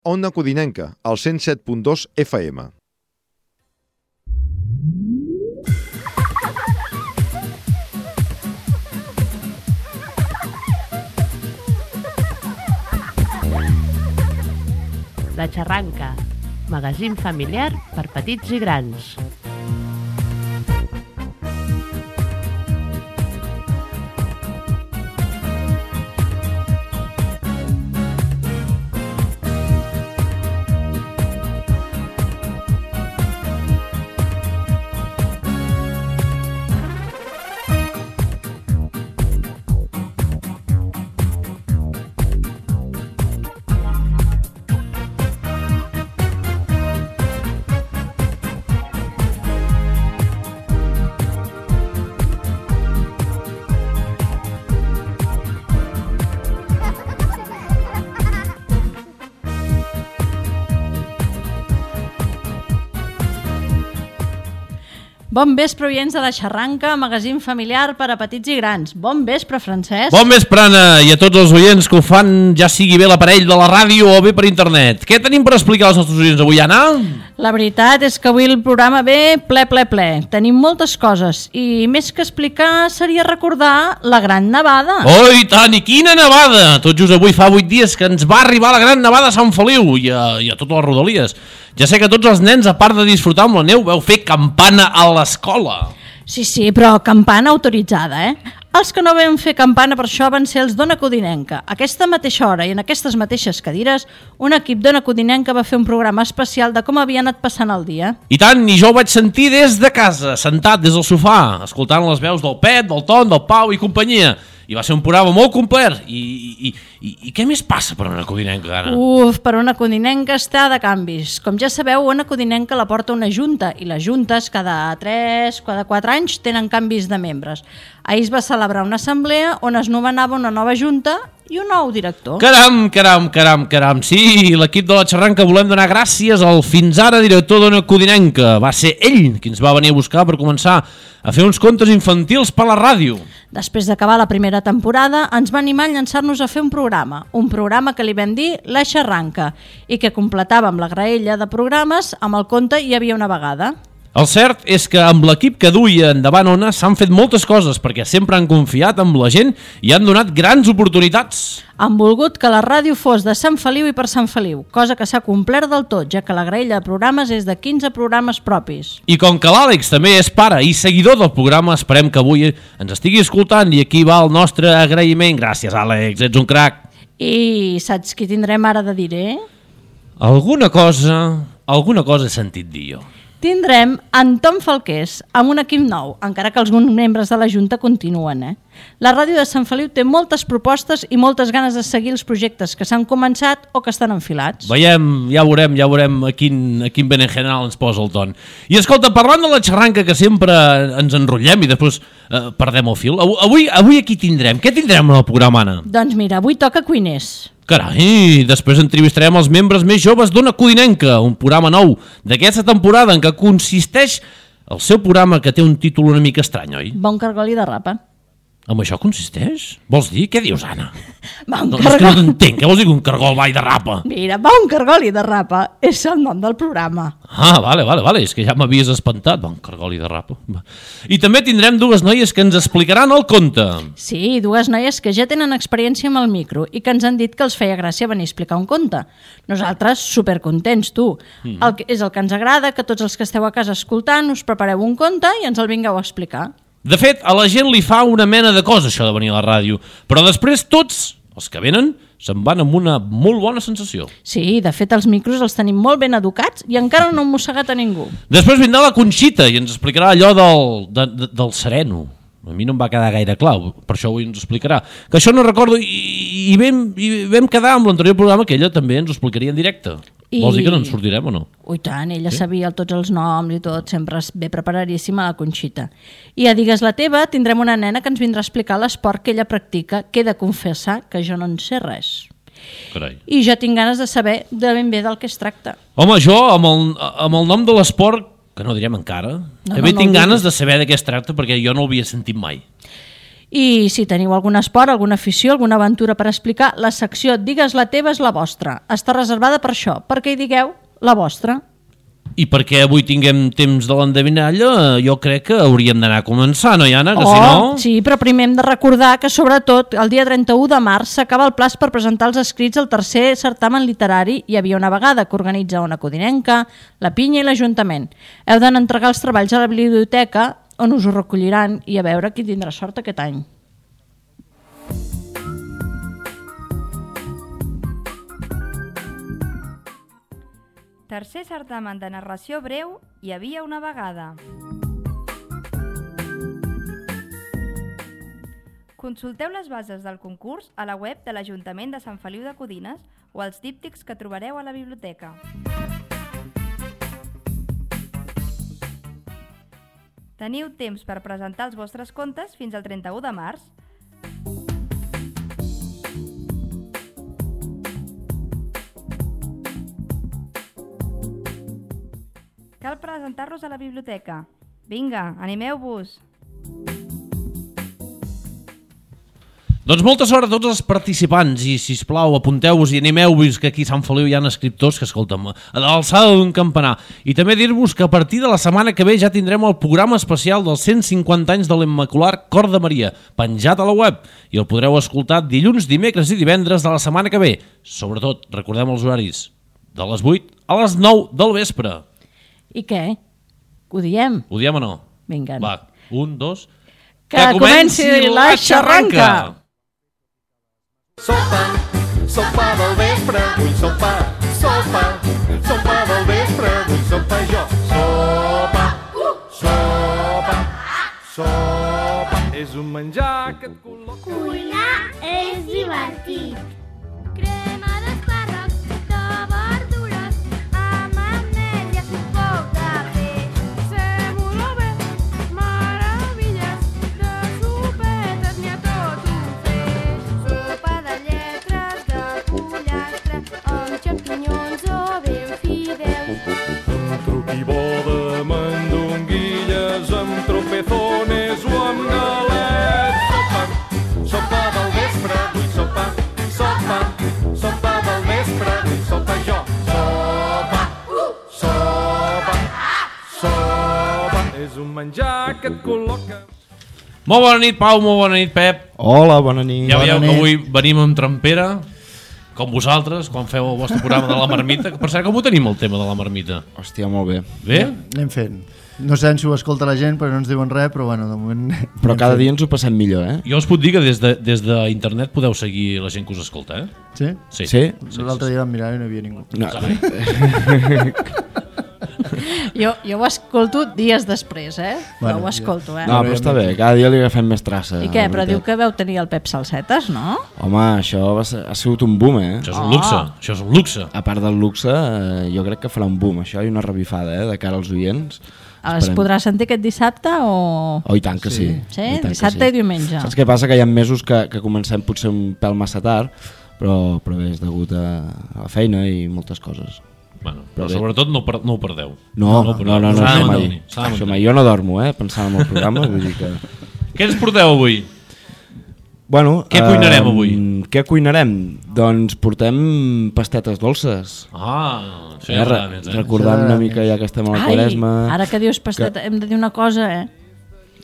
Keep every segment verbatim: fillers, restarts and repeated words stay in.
Ona Codinenca, al cent set punt dos F M. La Xarranca, magazín familiar per petits i grans. Bon vespre, oients de La Xarranca, magazín familiar per a petits i grans. Bon vespre, Francesc. Bon vespre, Anna, i a tots els oients que ho fan, ja sigui bé l'aparell de la ràdio o bé per internet. Què tenim per explicar als nostres oients avui, Anna? La veritat és que avui el programa ve ple, ple, ple. Tenim moltes coses i més que explicar seria recordar la Gran Nevada. Oh, i tant, i quina nevada! Tot just avui fa vuit dies que ens va arribar la Gran Nevada a Sant Feliu i a, i a totes les rodalies. Ja sé que tots els nens, a part de disfrutar amb la neu, veu fer campana a l'escola. Sí, sí, però campana autoritzada, eh? Els que no vam fer campana per això van ser els d'Ona Codinenca. A aquesta mateixa hora i en aquestes mateixes cadires, un equip d'Ona Codinenca va fer un programa especial de com havia anat passant el dia. I tant, i jo ho vaig sentir des de casa, sentat des del sofà, escoltant les veus del Pep, del Ton, del Pau i companyia. I va ser un programa molt complet. I, i, i, i què més passa per Ona Codinenca, Anna? Uf, per Ona Codinenca està de canvis. Com ja sabeu, Ona Codinenca la porta una junta i les juntes cada tres, cada quatre anys tenen canvis de membres. Ahir es va celebrar una assemblea on es nomenava una nova junta i un nou director. Caram, caram, caram, caram. Sí, l'equip de La Xarranca volem donar gràcies al fins ara director d'Ona Codinenca. Va ser ell qui ens va venir a buscar per començar a fer uns contes infantils per la ràdio. Després d'acabar la primera temporada, ens va animar a llançar-nos a fer un programa, un programa que li vam dir La Xarranca, i que completàvem la graella de programes amb el conte Hi havia una vegada. El cert és que amb l'equip que duia endavant Ona s'han fet moltes coses perquè sempre han confiat en la gent i han donat grans oportunitats. Han volgut que la ràdio fos de Sant Feliu i per Sant Feliu, cosa que s'ha complert del tot, ja que la graella de programes és de quinze programes propis. I com que l'Àlex també és pare i seguidor del programa, esperem que avui ens estigui escoltant i aquí va el nostre agraïment. Gràcies, Àlex, ets un crac. I saps qui tindrem ara de dir, eh? Alguna cosa, alguna cosa he sentit dir jo. Tindrem en Tom Falqués amb un equip nou, encara que alguns membres de la Junta continuen. Eh? La ràdio de Sant Feliu té moltes propostes i moltes ganes de seguir els projectes que s'han començat o que estan enfilats. Veiem, ja veurem, ja veurem a quin, a quin berenjenal ens posa el Ton. I escolta, parlant de La Xarranca, que sempre ens enrotllem i després eh, perdem el fil, avui, avui aquí tindrem, què tindrem en el programa, Anna? Doncs mira, avui toca Cuiners. Carai, després entrevistarem els membres més joves d'Ona Codinenca, un programa nou d'aquesta temporada en què consisteix el seu programa que té un títol una mica estrany, oi? Bon cargol i de rapa. En això consisteix? Vols dir? Què dius, Anna? Bon no, cargol... és que no t'entenc, què vols dir un cargol va i de rapa? Mira, bon cargol i de rapa és el nom del programa. Ah, vale, vale, vale, és que ja m'havies espantat, bon cargol i de rapa. I també tindrem dues noies que ens explicaran el conte. Sí, dues noies que ja tenen experiència amb el micro i que ens han dit que els feia gràcia venir a explicar un conte. Nosaltres, supercontents, tu. Mm. El que, és el que ens agrada, que tots els que esteu a casa escoltant us prepareu un conte i ens el vingueu a explicar. De fet, a la gent li fa una mena de cosa això de venir a la ràdio, però després tots els que venen se'n van amb una molt bona sensació. Sí, de fet els micros els tenim molt ben educats i encara no hem mossegat a ningú. Després vindrà la Conxita i ens explicarà allò del, de, de, del sereno. A mi no em va quedar gaire clar, per això avui ens explicarà. Que això no recordo i, i, vam, i vam quedar amb l'anterior programa que ella també ens ho explicaria en directe. I... Vols dir que no ens sortirem o no? Ui tant, ella sí? Sabia tots els noms i tot, sempre ve preparadíssima la Conxita. I a Digues la teva tindrem una nena que ens vindrà a explicar l'esport que ella practica, que he de confessar que jo no en sé res. Carai. I jo tinc ganes de saber de ben bé del que es tracta. Home, jo amb el, amb el nom de l'esport, que no direm encara, no, també no, no tinc ganes de saber de què es tracta perquè jo no l'havia sentit mai. I si teniu algun esport, alguna afició, alguna aventura per explicar, la secció Digues la teva és la vostra. Està reservada per això, perquè hi digueu la vostra. I perquè avui tinguem temps de l'endevinalla, jo crec que hauríem d'anar a començar, no, Iana? Que oh, si no... sí, però primer hem de recordar que, sobretot, el dia trenta-u de març s'acaba el plaç per presentar els escrits al tercer certamen literari Hi havia una vegada, que organitza Ona Codinenca, la Pinya i l'Ajuntament. Heu d'anar a entregar els treballs a la biblioteca, on us ho recolliran, i a veure qui tindrà sort aquest any. Tercer certamen de narració breu Hi havia una vegada. Consulteu les bases del concurs a la web de l'Ajuntament de Sant Feliu de Codines o als díptics que trobareu a la biblioteca. Teniu temps per presentar els vostres contes fins al trenta-u de març. Cal presentar-los a la biblioteca. Vinga, animeu-vos! Doncs molta sort a tots els participants i, sisplau, apunteu-vos i animeu-vos, que aquí a Sant Feliu hi ha escriptors que, escolta'm, a l'alçada d'un campanar. I també dir-vos que a partir de la setmana que ve ja tindrem el programa especial dels cent cinquanta anys de l'Immacular Cor de Maria, penjat a la web, i el podreu escoltar dilluns, dimecres i divendres de la setmana que ve. Sobretot, recordem els horaris, de les vuit a les nou del vespre. I què? Ho diem? Ho diem o no? Vinga. Va, un, dos... Que, que comenci, comenci la xarranca! Sopa, sopa del vespre, vull sopa, sopa, sopa del vespre, vull sopa jo. Sopa, sopa, sopa, és un menjar que et col·loca. Cuinar és divertit. Crema d'espàrrecs, de verdures, amb ametlles i un poc de peix. Sèmola bé, meravilles, de sopetes n'hi ha tot un feix. Sopa de lletres, de pollastre, amb xampinyons o ben fideus. Un truqui bo de mandonguilles amb tropezones o amb galets. Sopa, sopa del vespre, vull sopa, sopa, sopa del vespre, vull sopa jo. Sopa, sopa, sopa, és un menjar que et col·loca. Molt bona nit, Pau, molt bona nit, Pep. Hola, bona nit. Ja veieu bona que nit. avui venim amb trempera, com vosaltres, quan feu el vostre programa de la marmita. Per cert, com ho tenim, el tema de la marmita? Hòstia, molt bé. Bé? Anem fent. No sé si ho escolta la gent, però no ens diuen res, però bueno, de moment... Però cada dia ens ho passem millor, eh? Jo us puc dir que des de, des d'internet podeu seguir la gent que us escolta, eh? Sí? Sí. Sí? sí L'altre sí, dia vam mirar i no hi havia ningú. No. Jo, jo ho escolto dies després, eh? Bueno, Bueno, ho escolto, eh? No, però està bé, cada dia li agafem més traça. I què? la Però veritat. diu que veu tenir el Pep Salsetes, no? Home, això va ser, ha sigut un boom, eh? Això és un luxe, Oh. això és un luxe. A part del luxe, eh, jo crec que farà un boom, això, i una revifada, eh, de cara als oients. Es Esperem. podrà sentir aquest dissabte o... Oh, i tant que sí. Sí? I tant que Dissabte i diumenge. Saps què passa? Que hi ha mesos que, que comencem potser un pèl massa tard, però, però bé, és degut a, a la feina i moltes coses. Bueno, però Però bé. sobretot no, per, no ho perdeu. No, no, ho no, perdeu. no, no, S'ha de això mai. mantenir, s'ha de Això mantenir. mai. Jo no dormo, eh, pensant en el programa, vull dir que... Què ens porteu avui? Bueno, Què cuinarem eh, avui? Què cuinarem? Doncs portem pastetes dolces. Ah, això Eh, ja re- m'agrada més, eh? recordant una Això mica ja que estem a la Ai, Quaresma. ara que dius pasteta, hem de dir una cosa, eh?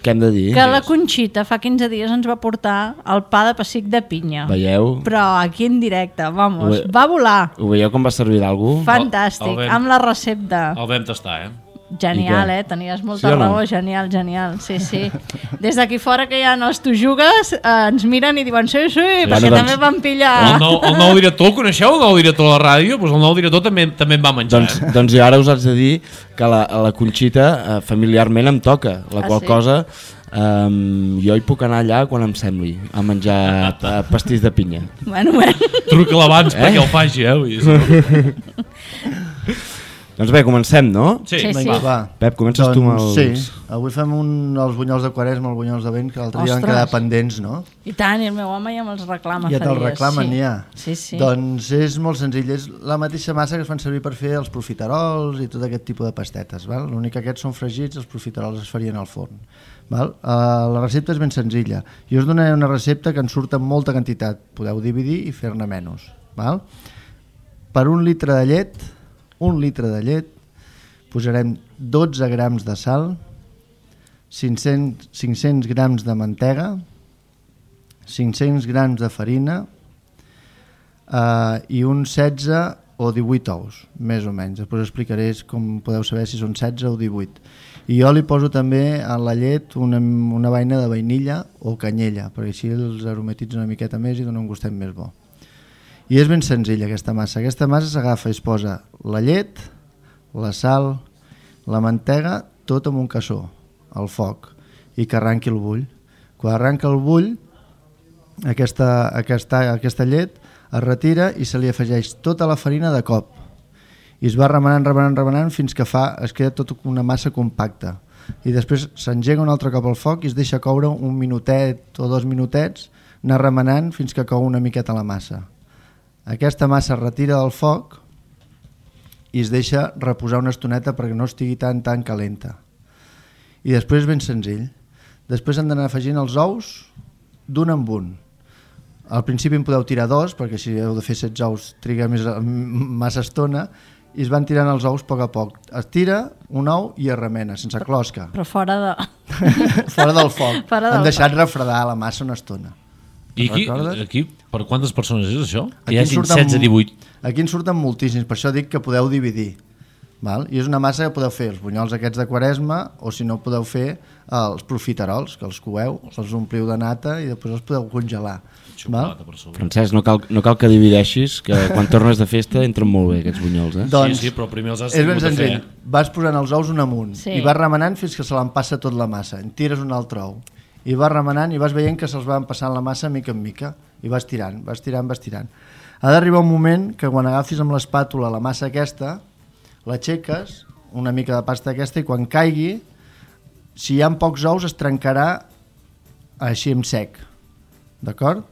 Què hem de dir? Que la Conxita fa quinze dies ens va portar el pa de pessic de pinya. Veieu? Però aquí en directe, vamos, Ho ve- va volar. Ho veieu com va servir d'algú? Fantàstic, el vam- amb la recepta. El vam tastar, eh? Genial, I què? eh? Tenies molta Sí o no? raó, genial, genial. Sí, sí. Des d'aquí fora que ja no es tu jugues, eh, ens miren i diuen sí, sí, perquè Bueno, també doncs- van pillar... El nou, el nou director, el coneixeu, el nou director de la ràdio? Doncs el nou director també també en va menjar. Doncs, eh? doncs jo ara us haig de dir que la, a la Conxita eh, familiarment em toca, la Ah, qual sí? cosa um, jo hi puc anar allà quan em sembli a menjar eh, pastís de pinya. Bueno, bueno. Truca-la abans eh? perquè el faci, eh? Vull dir, Doncs bé, comencem, no? Sí. Sí, sí. Vinga, va. Pep, comences tu amb els... Sí, avui fem un, els bunyols de Quaresma, els bunyols de vent, que l'altre dia van Ostres. quedar pendents, no? I tant, i el meu home ja me'ls reclama Ja fa te'l dies. reclamen, sí. ja. Sí, sí. Doncs és molt senzill, és la mateixa massa que es fan servir per fer els profiterols i tot aquest tipus de pastetes, val? L'únic que aquests són fregits, els profiterols es farien al forn. Val? Uh, la recepta és ben senzilla. Jo us donaré una recepta que en surt en molta quantitat, podeu dividir i fer-ne menys. Val? Per un litre de llet, un litre de llet, posarem dotze grams de sal, cinc-cents, cinc-cents grams de mantega, cinc-cents grams de farina eh, i uns setze o divuit ous, més o menys. Després explicaré com podeu saber si són setze o divuit. I jo li poso també a la llet una, una vaina de vainilla o canyella, perquè així els aromatitza una miqueta més i dona un gustet més bo. I és ben senzilla aquesta massa. Aquesta massa s'agafa i es posa la llet, la sal, la mantega, tot amb un cassó, al foc, i que arranqui el bull. Quan arranca el bull, aquesta, aquesta, aquesta llet es retira i se li afegeix tota la farina de cop. I es va remenant, remenant, remenant fins que fa, es queda tota una massa compacta. I després s'engega un altre cop al foc i es deixa coure un minutet o dos minutets, anar remenant fins que cou una miqueta la massa. Aquesta massa es retira del foc i es deixa reposar una estoneta perquè no estigui tan tan calenta. I després és ben senzill. Després hem d'anar afegint els ous d'un en un. Al principi en podeu tirar dos, perquè si heu de fer setze ous triga més, massa estona, i es van tirant els ous a poc a poc. Es tira un ou i es remena, sense closca. Però fora de... Fora del foc. Fora del Hem deixat refredar la massa una estona. I aquí, Recordes? aquí, per quantes persones és això? Que Aquí hi en hagin surten- setze, divuit. Aquí en surten moltíssims, per això dic que podeu dividir. Val? I és una massa que podeu fer els bunyols aquests de Quaresma, o si no podeu fer els profiterols, que els coeu, els ompliu de nata i després els podeu congelar. Xocolata per sobre. Francesc, no cal, no cal que divideixis, que quan tornes de festa entren molt bé aquests bunyols, eh? Doncs, sí, sí, però primer els has és ben tingut a fer. senzill. Vas posant els ous un amunt Sí. i vas remenant fins que se l'empassa tot la massa. En tires un altre ou i vas remenant i vas veient que se'ls va empassant la massa mica en mica i vas tirant, vas tirant, vas tirant. Ha d'arribar un moment que quan agafis amb l'espàtula la massa aquesta, l'aixeques, una mica de pasta aquesta, i quan caigui, si hi ha pocs ous es trencarà així en sec. D'acord?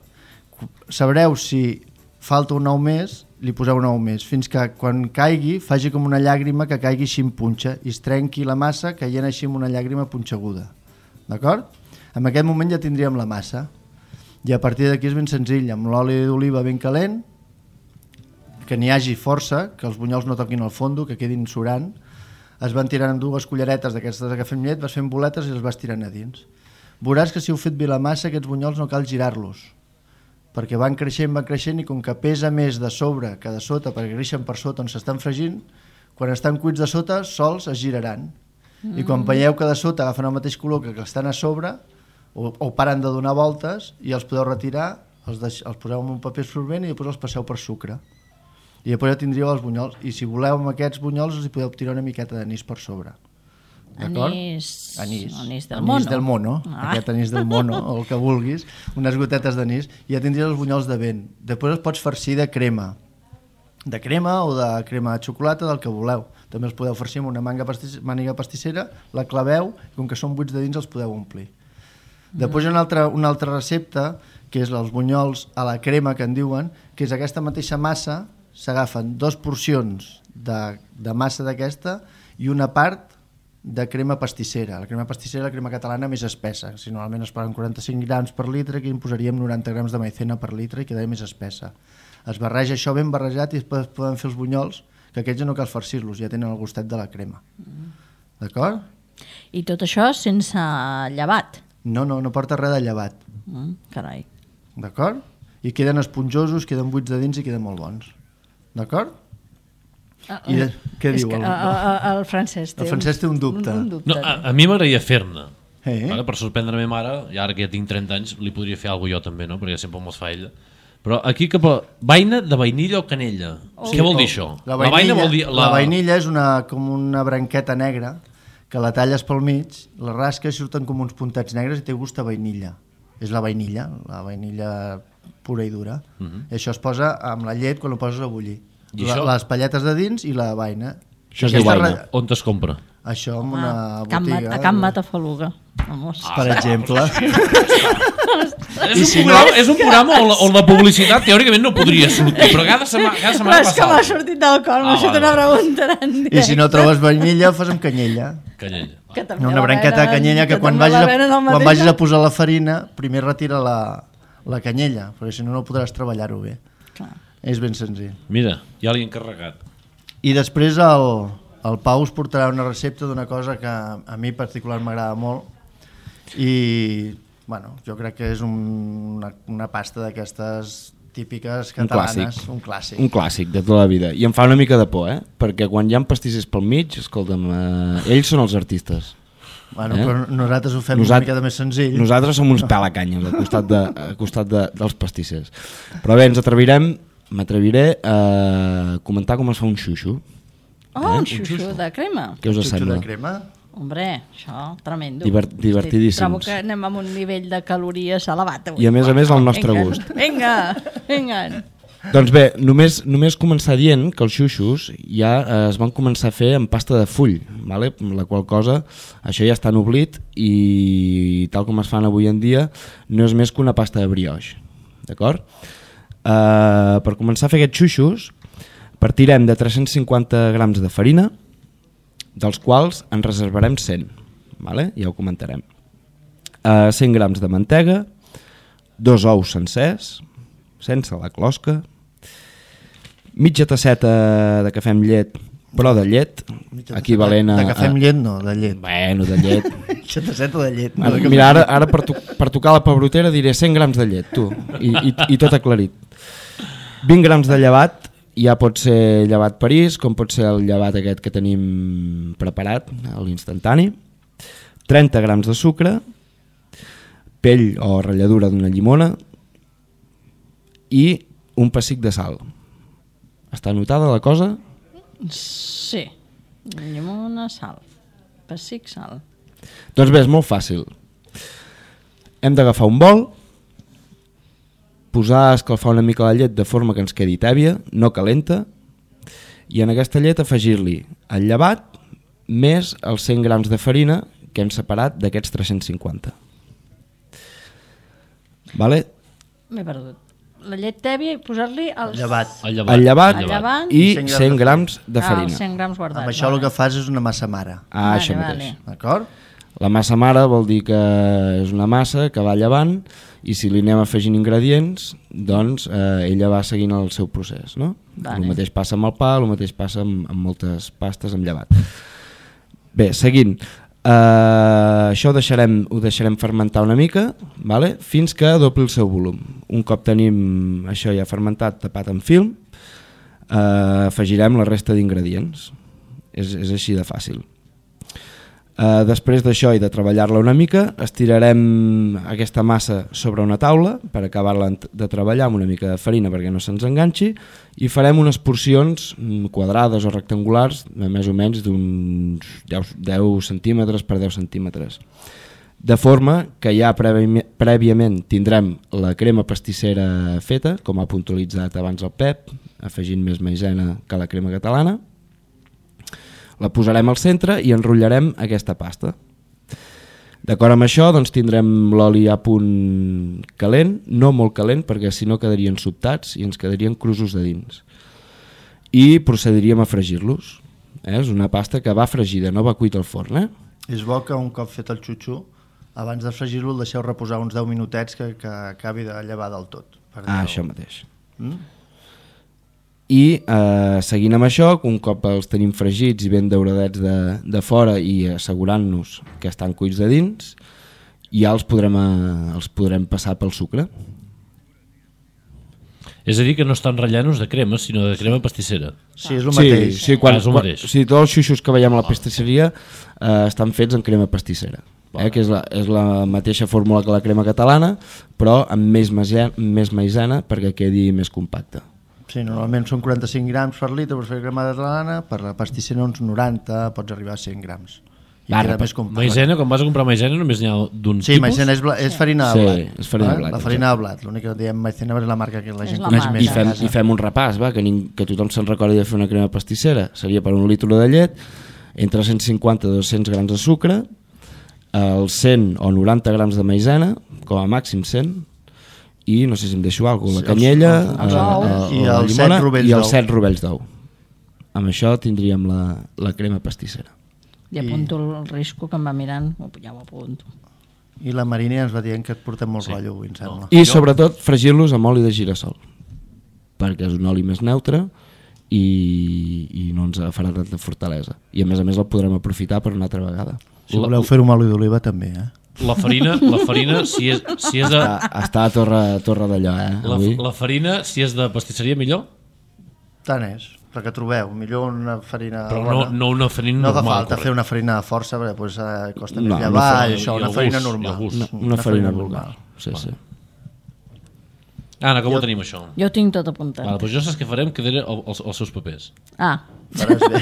Sabreu si falta un ou més, li poseu un ou més, fins que quan caigui faci com una llàgrima que caigui així en punxa i es trenqui la massa caient així amb una llàgrima punxeguda. D'acord? En aquest moment ja tindríem la massa. I a partir d'aquí és ben senzill, amb l'oli d'oliva ben calent, que n'hi hagi força, que els bunyols no toquin el fondo, que quedin surant, es van tirant amb dues culleretes d'aquestes que fem llet, vas fent boletes i els vas tirant a dins. Veuràs que si heu fet bé la massa, aquests bunyols no cal girar-los, perquè van creixent, van creixent, i com que pesa més de sobre que de sota, perquè creixen per sota on s'estan fregint, quan estan cuits de sota, sols es giraran. Mm. I quan veieu que de sota agafen el mateix color que que estan a sobre, o, o paren de donar voltes, i els podeu retirar, els, deix, els poseu en un paper absorbent i després els passeu per sucre. I després ja tindríeu els bunyols. I si voleu amb aquests bunyols els hi podeu tirar una miqueta d'anís per sobre. D'acord? Anís, Anís. anís del anís mono. del mono. Ah. Aquest anís del mono, o el que vulguis. Unes gotetes d'anís. I ja tindries els bunyols de vent. Després els pots farcir de crema. De crema o de crema de xocolata, del que voleu. També els podeu farcir amb una manga pastis, màniga pastissera, la claveu, i com que són buits de dins els podeu omplir. Després hi ha una altra, una altra recepta, que és els bunyols a la crema, que en diuen, que és aquesta mateixa massa, s'agafen dues porcions de, de massa d'aquesta i una part de crema pastissera. La crema pastissera és la crema catalana més espessa. Si normalment es paguen quaranta-cinc grams per litre, aquí en posaríem noranta grams de maicena per litre i quedaria més espessa. Es barreja això ben barrejat i després poden fer els bunyols, que aquests ja no cal farcir-los, ja tenen el gustet de la crema. Mm. D'acord? I tot això sense llevat. No, no, no porta res de llevat. Mm, carai. D'acord? I queden esponjosos, queden buits de dins i queden molt bons. D'acord? Uh, I de, què és diu? que, El, uh, uh, el Francesc té, el Francesc té un dubte. Un, un dubte. No, a, a mi m'agradaria fer-ne. Eh? Vale? Per sorprendre la meva mare, i ara que ja tinc trenta anys, li podria fer alguna cosa jo també, no? Perquè sempre me'ls fa ella. Però aquí cap a... Vaina de vainilla o canella? Oh. Què vol dir això? La vainilla, vaina vol dir... la... la vainilla és una, com una branqueta negra que la talles pel mig, la rasques i surten com uns puntats negres i té gust a vainilla. És la vainilla, la vainilla pura i dura. Uh -huh. I això es posa amb la llet quan ho poses a bullir. I La, això? les palletes de dins i la vaina. Això es diu Aquesta Waina. ra- On es compra? Això en una Ah, Can Ma- botiga... a Can Matafaluga. Vamos. Per exemple. És un, si programa, no- és un programa on la, on la publicitat teòricament no podria sortir, però cada setmana, cada Però setmana és que m'ha passava. sortit del cor, m'ha Ah, fet vale, una vale. pregunta en directe. I si no trobes vainilla, fas amb canyella. Canyella. Que també Una la branqueta de venen- canyella que, quan, també vagis la a, venen al quan mateix vagis a lloc. posar la farina, primer retira la, la canyella, perquè si no, no podràs treballar-ho bé. Clar. És ben senzill. Mira, ja l'he encarregat. I després el, el Pau us portarà una recepta d'una cosa que a mi particular m'agrada molt i bueno, jo crec que és un, una, una pasta d'aquestes típiques Un catalanes, clàssic. un clàssic. Un clàssic de tota la vida. I em fa una mica de por, eh? Perquè quan hi ha pastissers pel mig, escolta'm, eh, ells són els artistes. Bueno, Eh? però nosaltres ho fem Nosat- una mica de més senzill. Nosaltres som uns pelacanyes al costat, de, al costat de, dels pastissers. Però bé, ens atrevirem, m'atreviré a comentar com es fa un xuxo. Oh, un xuxo de crema. Què us Xuxo sembla? de crema. Hombre, això, tremendo. Divert- divertidíssims. Trobo que anem amb un nivell de calories elevat avui. I a més a més al nostre Vinga, gust. Vinga, vinga. Doncs bé, només, només començar dient que els xuxos ja eh, es van començar a fer en pasta de full, vale? La qual cosa, això ja està ennoblit i tal com es fan avui en dia no és més que una pasta de brioix, d'acord? Eh, per començar a fer aquests xuxos partirem de tres-cents cinquanta grams de farina, dels quals en reservarem cent, vale? Ja ho comentarem. Eh, cent grams de mantega, dos ous sencers, sense la closca, mitja tasseta de cafè amb llet, però de llet, equivalent a... De cafè amb llet no, de llet. Bueno, de llet. Mitja tasseta de llet. No Ara, de cafè. mira, ara, ara per, to per tocar la pebrotera diré cent grams de llet, tu, i, i, i tot aclarit. vint grams de llevat, ja pot ser llevat París, com pot ser el llevat aquest que tenim preparat, a l'instantani. trenta grams de sucre, pell o ratlladura d'una llimona i un pessic de sal. Està anotada la cosa? Sí. Llimona, sal. Pessic, sal. Doncs bé, és molt fàcil. Hem d'agafar un bol, posar a escalfar una mica la llet de forma que ens quedi tèbia, no calenta, i en aquesta llet afegir-li el llevat més els cent grams de farina que hem separat d'aquests tres-cents cinquanta. Vale? M'he perdut. La llet tèbia i posar-li els... Llevat. El llevat. El llevat El llevat. i cent cent grams de Ah, farina. els cent grams guardats. Amb això el que fas és una massa mare. Ah, Vale, això vale. mateix. D'acord? La massa mare vol dir que és una massa que va llevant i si li anem afegint ingredients, doncs eh, ella va seguint el seu procés, no? Vale. El mateix passa amb el pa, el mateix passa amb, amb moltes pastes amb llevat. Bé, seguint. Uh, això ho deixarem, ho deixarem fermentar una mica, vale? Fins que dobli el seu volum. Un cop tenim això ja fermentat, tapat amb film, uh, afegirem la resta d'ingredients. És, és així de fàcil. Uh, després d'això i de treballar-la una mica, estirarem aquesta massa sobre una taula per acabar-la de treballar amb una mica de farina perquè no se'ns enganxi i farem unes porcions quadrades o rectangulars de més o menys d'uns deu centímetres per deu centímetres, de forma que ja prèvi, prèviament tindrem la crema pastissera feta, com ha puntualitzat abans el Pep, afegint més maïzena que la crema catalana. La posarem al centre i enrotllarem aquesta pasta. D'acord amb això, doncs tindrem l'oli a punt calent, no molt calent perquè si no quedarien sobtats i ens quedarien crusos de dins. I procediríem a fregir-los. Eh? És una pasta que va fregida, no va cuita al forn. Eh? És bo que un cop fet el xuxo, abans de fregir-lo el deixeu reposar uns deu minutets que, que acabi de llevar del tot. Per Ah, deu. això mateix. Mm? I eh, seguint amb això, un cop els tenim fregits i ben dauradets de, de fora i assegurant-nos que estan cuits de dins, ja els podrem, eh, els podrem passar pel sucre. És a dir, que no estan ratllant-nos de crema, sinó de crema pastissera. Sí, és el mateix. Sí, sí, quan, Ah, és el quan, mateix. sí, tots els xuxos que veiem a la pastisseria eh, estan fets en crema pastissera, eh, que és la, és la mateixa fórmula que la crema catalana, però amb més, maïzena, més maïzena perquè quedi més compacte. Sí, normalment són quaranta-cinc grams per litre per fer crema catalana, per la pastissera uns noranta, pots arribar a cent grams. i queda més compacte. Maizena, quan vas a comprar maizena només n'hi ha d'un Sí, tipus? maizena és, bla, és farina de Sí, blat. és farina de eh? blat, La farina de blat, l'únic que diem maizena és la marca que la És gent la coneix marca. més. I fem, a casa. i fem un repàs, va, que, ning, que tothom se'n recordi de fer una crema pastissera. Seria per un litre de llet, entre cent cinquanta i dos-cents grams de sucre, els cent o noranta grams de maizena, com a màxim cent, i no sé si em deixo alguna cosa, la canyella, els eh, ous. eh, I la els llimona set rovells i els d'ou. set rovells d'ou. Amb això tindríem la, la crema pastissera. I apunto el risco que em va mirant, ja ho apunto. I la Marina ens va dient que et portem molt sí. rotllo avui, em sembla. I sobretot fregir-los amb oli de girassol, perquè és un oli més neutre i, i no ens farà tanta fortalesa. I a més a més el podrem aprofitar per una altra vegada. Si voleu fer-ho amb oli d'oliva també, eh? La farina, la farina si és, si és de... Està, està a Torre, torre d'allò, eh? La, Avui. la farina, si és de pastisseria, millor? Tant és, perquè trobeu, millor una farina Però bona. no, no una farina No fa normal. falta correcte. fer una farina de força, perquè pues, eh, costa No, més una llevar farina- i això, i una el farina gust, i el normal. gust. Una, una farina vulgar. Sí, sí. Anna, com ho tenim, això? Jo ho tinc tot apuntat. Vale, doncs jo saps què farem? Quedaré el- els, els seus papers. Ah, Faràs bé.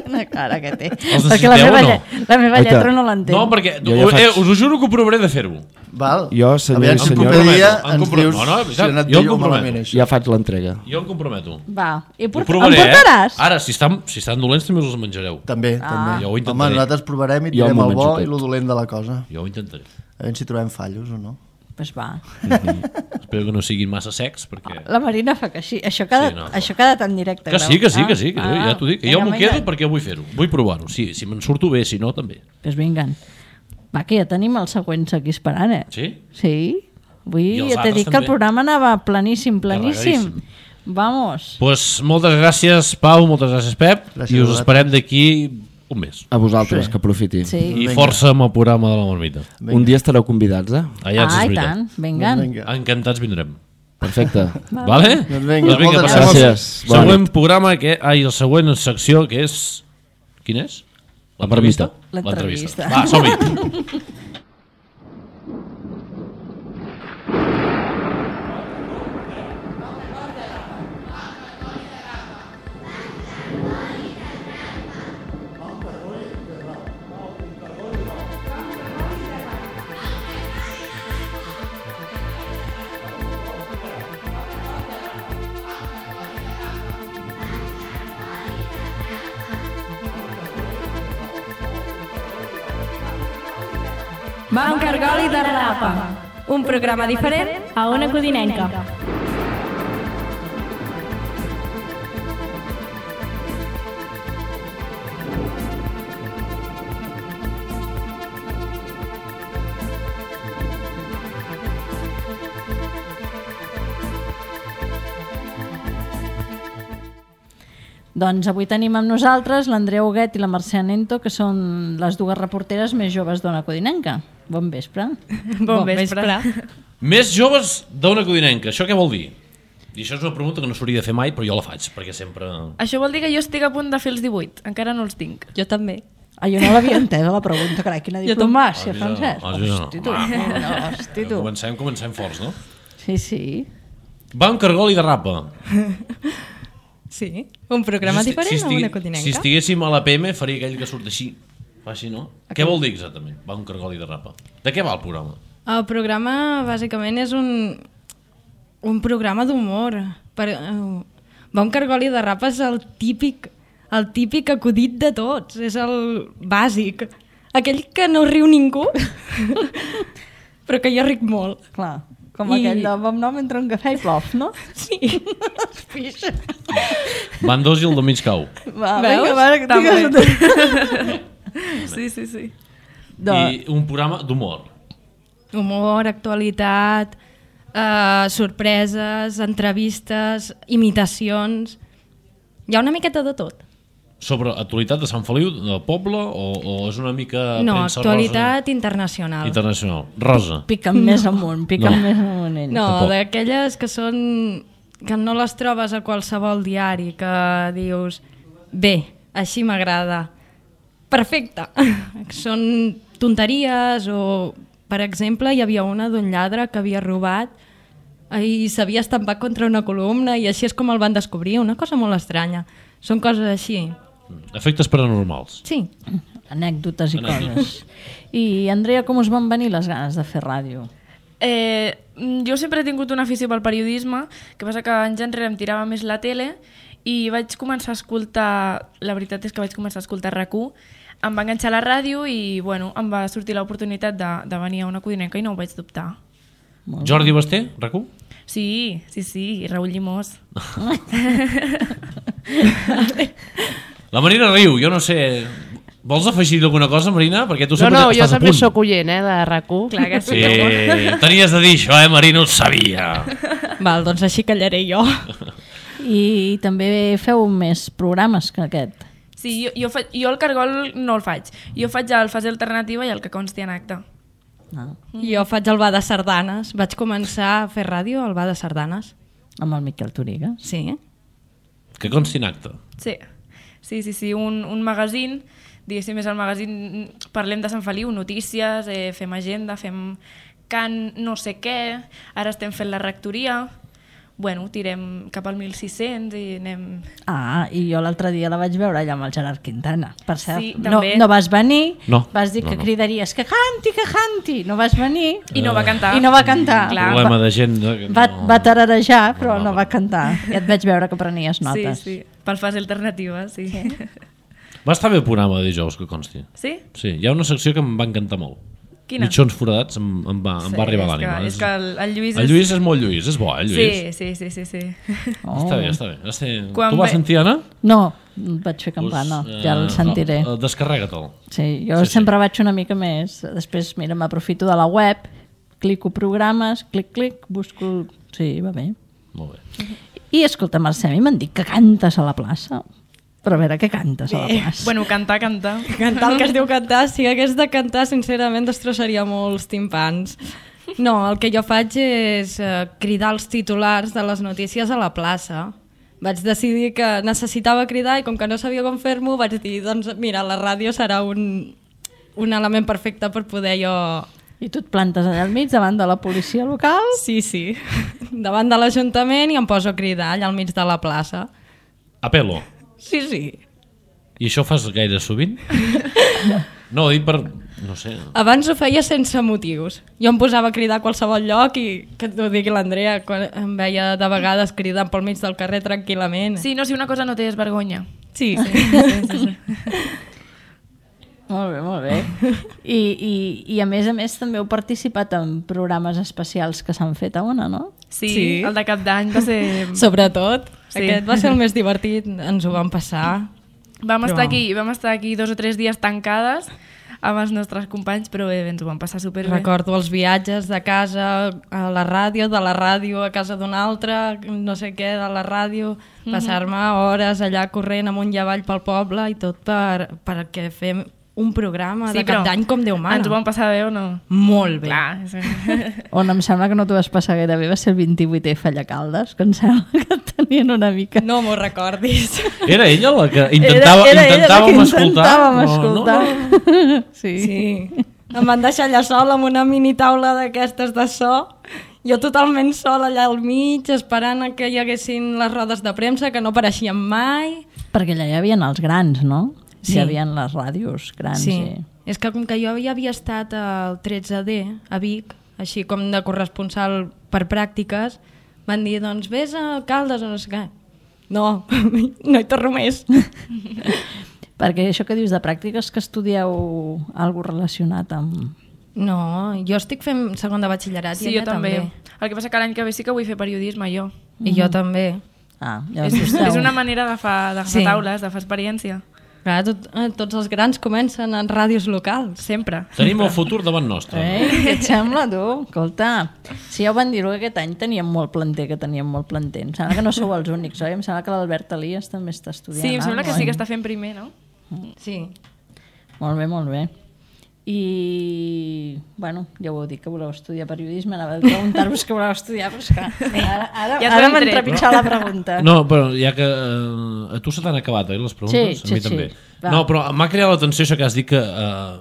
una cara que té. Els Perquè la necessiteu meva, o no? lle- la meva Oita. lletra no l'entén. No, perquè Jo ja eh, faig- us ho juro que ho provaré de fer-ho. Val? Jo, senyor Aviam i si el senyor- proper dia Em ens comprometo. dius No, no, és si veritat, ha anat jo em bé o malament comprometo. això. Ja faig l'entrega. Jo em comprometo. Va, i por... Ho provaré, em portaràs? eh? Ara, si estan, si estan dolents també us els menjareu. També, Ah. també. Jo ho Home, intentaré. nosaltres provarem i Jo tirem m'ho el menjo bo tot. i el dolent de la cosa. Jo ho intentaré. A veure si trobem fallos o no. Pues va. Espero que no siguin massa secs, perquè... La Marina fa que sí. Això queda, Sí, no. això queda tan directe. Que Grau. sí, que sí, Ah, que sí, que ah, ja t'ho dic. Que vinga, jo m'ho vinga. quedo perquè vull fer-ho. Vull provar-ho. Sí, si me'n surto bé, si no, també. Pues vinguen. Va, que ja tenim els següents aquí esperant, eh? Sí? Sí. Avui I els ja t'he altres dit que el també. programa anava planíssim, planíssim. Carregadíssim. Vamos. Pues moltes gràcies, Pau, moltes gràcies, Pep, Gràcies i a us vosaltres. esperem d'aquí un mes. A vosaltres, Sí. que aprofiti. Sí. I Vinga. força amb el programa de la marmita. Un dia estareu convidats, eh? Allà ah, és i veritat. tant. Vinguen. Doncs vinga. Encantats vindrem. Perfecte. Vale? Doncs vinga, moltes passem al gràcies. Bona Següent nit. programa, que, ai, el següent secció, que és... Quin és? L'entrevista? L'entrevista. Va, som-hi. Va un cargol i de rapa. Un programa diferent a una codinenca. Doncs avui tenim amb nosaltres l'Andrea Huguet i la Mercè Nento, que són les dues reporteres més joves d'Ona Codinenca. Bon vespre. Bon vespre. Més joves d'una codinenca, això què vol dir? I això és una pregunta que no s'hauria de fer mai, però jo la faig, perquè sempre... Això vol dir que jo estic a punt de fer els divuit. Encara no els tinc. Jo també. Ah, jo no l'havia entès, la pregunta, carai, quina diplomàcia, Ah, Francesc. ah, sí, no. Hosti, tu. Ah, No, hosti, tu. Comencem, comencem forts, no? Sí, sí. Va un cargol i de rapa. Sí, un programa Si- diferent si a estigui- una codinenca. Si estiguéssim a la P M faria aquell que surt així. Fa així, no? Què vol dir exactament? Va un cargol i de rapa. De què va el programa? El programa, bàsicament, és un, un programa d'humor. Per, uh, va un cargol i de rapa és el típic, el típic acudit de tots. És el bàsic. Aquell que no riu ningú, però que jo ric molt. Clar, com I- aquell de bon nom entre un cafè i plof, no? Sí. Pixa. Van dos i el de mig cau. Va, Veus? vinga, va, que També. digues... Sí, sí, sí. De... I un programa d'humor. Humor, actualitat, eh, sorpreses, entrevistes, imitacions... Hi ha una miqueta de tot. Sobre actualitat de Sant Feliu, del poble, o, o és una mica No, premsa actualitat rosa internacional. internacional? Rosa. Piquen més amunt, piquen No. més amunt ells. No, Tampoc. d'aquelles que són... que no les trobes a qualsevol diari, que dius, bé, així m'agrada. Perfecte. Són tonteries o, per exemple, hi havia una d'un lladre que havia robat i s'havia estampat contra una columna i així és com el van descobrir, una cosa molt estranya. Són coses així. Efectes paranormals. Sí. Anècdotes i Anècdotes. coses. I, Andrea, com us van venir les ganes de fer ràdio? Eh, jo sempre he tingut una afició pel periodisme, que passa que anys enrere em tirava més la tele i vaig començar a escoltar, la veritat és que vaig començar a escoltar R A C u, em va enganxar a la ràdio i bueno, em va sortir l'oportunitat de, de venir a una codinenca i no ho vaig dubtar. Jordi Basté, R A C u? Sí, sí, sí, i Raül Llimós. La Marina riu, jo no sé... Vols afegir alguna cosa, Marina? Perquè tu No, sempre no, jo estàs a també punt. sóc oient, eh, de R A C u. Clar que sí. Sí, tenies de dir això, eh, Marina, ho sabia. Val, doncs així callaré jo. I també feu més programes que aquest. Sí, jo, jo, faig, jo el cargol no el faig. Jo faig el fase alternativa i el que consti en acte. Ah. Jo faig el Bar de Sardanes. Vaig començar a fer ràdio al Bar de Sardanes. Amb el Miquel Toriga. Sí. Que consti en acte. Sí, sí, sí, sí. Un, un magazín, diguéssim, és el magazín, parlem de Sant Feliu, notícies, eh, fem agenda, fem cant no sé què, ara estem fent la rectoria, bueno, tirem cap al mil sis-cents i anem... Ah, i jo l'altre dia la vaig veure allà amb el Gerard Quintana. Per cert, Sí, no, també. no vas venir, No, vas dir no, que no. cridaries que canti, que canti. No vas venir I no va cantar. i no va cantar. Clar. Problema de gent... De... Va, no. va tararejar, però No, no, no. va cantar. Ja et vaig veure que prenies notes. Sí, sí, pel fase alternativa, sí. Sí? Va estar bé el programa de dijous, que consti. Sí? Sí, hi ha una secció que em va encantar molt. Quina? Mitjons foradats em, em, va, em va arribar a és l'ànima. que, és que el, el Lluís... El Lluís és molt Lluís, és bo, eh, el Lluís? Sí, sí, sí, sí, sí. Oh. Està bé, està bé. Està bé. Quan Tu vas ve- sentir, Anna? No, vaig fer campana, Pues, ja el eh, sentiré. no, Descarrega-te'l. Sí, jo Sí, sí. sempre vaig una mica més. Després, mira, m'aprofito de la web, clico programes, clic, clic, busco... Sí, va bé. Molt bé. I escolta, Mercè, a mi m'han dit que cantes a la plaça. Però a veure, què cantes a la plaça? Bueno, cantar, cantar. Cantar el que es diu cantar, si hagués de cantar, sincerament destrossaria molts timpans. No, el que jo faig és eh, cridar els titulars de les notícies a la plaça. Vaig decidir que necessitava cridar i com que no sabia com fer-m'ho, vaig dir, doncs mira, la ràdio serà un, un element perfecte per poder jo... I tu et plantes allà al mig davant de la policia local? Sí, sí, davant de l'Ajuntament i em poso a cridar allà al mig de la plaça. A pelo. Sí, sí. I això ho fas gaire sovint? No, ho dic per... no sé... Abans ho feia sense motius. Jo em posava a cridar a qualsevol lloc i que t'ho digui l'Andrea, quan em veia de vegades cridant pel mig del carrer tranquil·lament. Sí, no, si una cosa no té és vergonya. Sí, sí, sí, sí, sí. Molt bé, molt bé. I, i, I a més a més també heu participat en programes especials que s'han fet a Ona, no? Sí, Sí. el de cap d'any va ser... Sobretot, Sí. aquest va ser el més divertit, ens ho vam passar. Vam, Però- estar aquí, vam estar aquí dos o tres dies tancades amb els nostres companys, però bé, ens ho vam passar superbé. Recordo els viatges de casa a la ràdio, de la ràdio a casa d'un altre, no sé què, de la ràdio, passar-me hores allà corrent amunt i avall pel poble i tot per, perquè fem un programa Sí, de però cap d'any com Déu mana. Ens ho vam passar bé o no? Molt bé. Clar, és... On em sembla que no t'ho vas passar gaire bé va ser el vint-i-vuitè Fallacaldes, que em sembla que tenien una mica... No m'ho recordis. Era ella la que intentava, era, era intentàvem ella la que escoltar? intentàvem No, escoltar. no, Sí. Sí. Em van deixar allà sola amb una mini taula d'aquestes de so, jo totalment sola allà al mig, esperant a que hi haguessin les rodes de premsa, que no apareixien mai. Perquè allà hi havia els grans, no? Sí. Hi havia les ràdios grans. Sí, I... és que com que jo ja havia estat al tretze D a Vic, així com de corresponsal per pràctiques, van dir, doncs vés a Caldes o no sé què. No, no hi torno més. Perquè això que dius de pràctiques, que estudieu alguna relacionat amb... No, jo estic fent segon de batxillerat Sí, i jo ella també. també. El que passa que l'any que ve sí que vull fer periodisme, jo. I jo també. Ah, ja És, esteu. és una manera d'agafar Sí. taules, de fer experiència. Clar, tot, eh, tots els grans comencen en ràdios locals. Sempre. Tenim el futur davant nostre. Eh? Què et sembla, tu? Escolta, si ja ho van dir-ho, aquest any teníem molt planter, que teníem molt planter. Em sembla que no sou els únics, oi? Em sembla que l'Albert Elias també està estudiant. Sí, em sembla que sí que oi? està fent primer, no? Sí. Molt bé, molt bé. I, bueno, ja ho heu dit que voleu estudiar periodisme, anava a preguntar-vos que voleu estudiar, però és que ara, ara, Ja ens ara ho hem m'ha tret. entrepitjat la pregunta. No, però ja que eh, a tu se t'han acabat, eh, les preguntes? Sí, a mi sí, també. sí. Va. No, però m'ha creat l'atenció això que has dit que eh,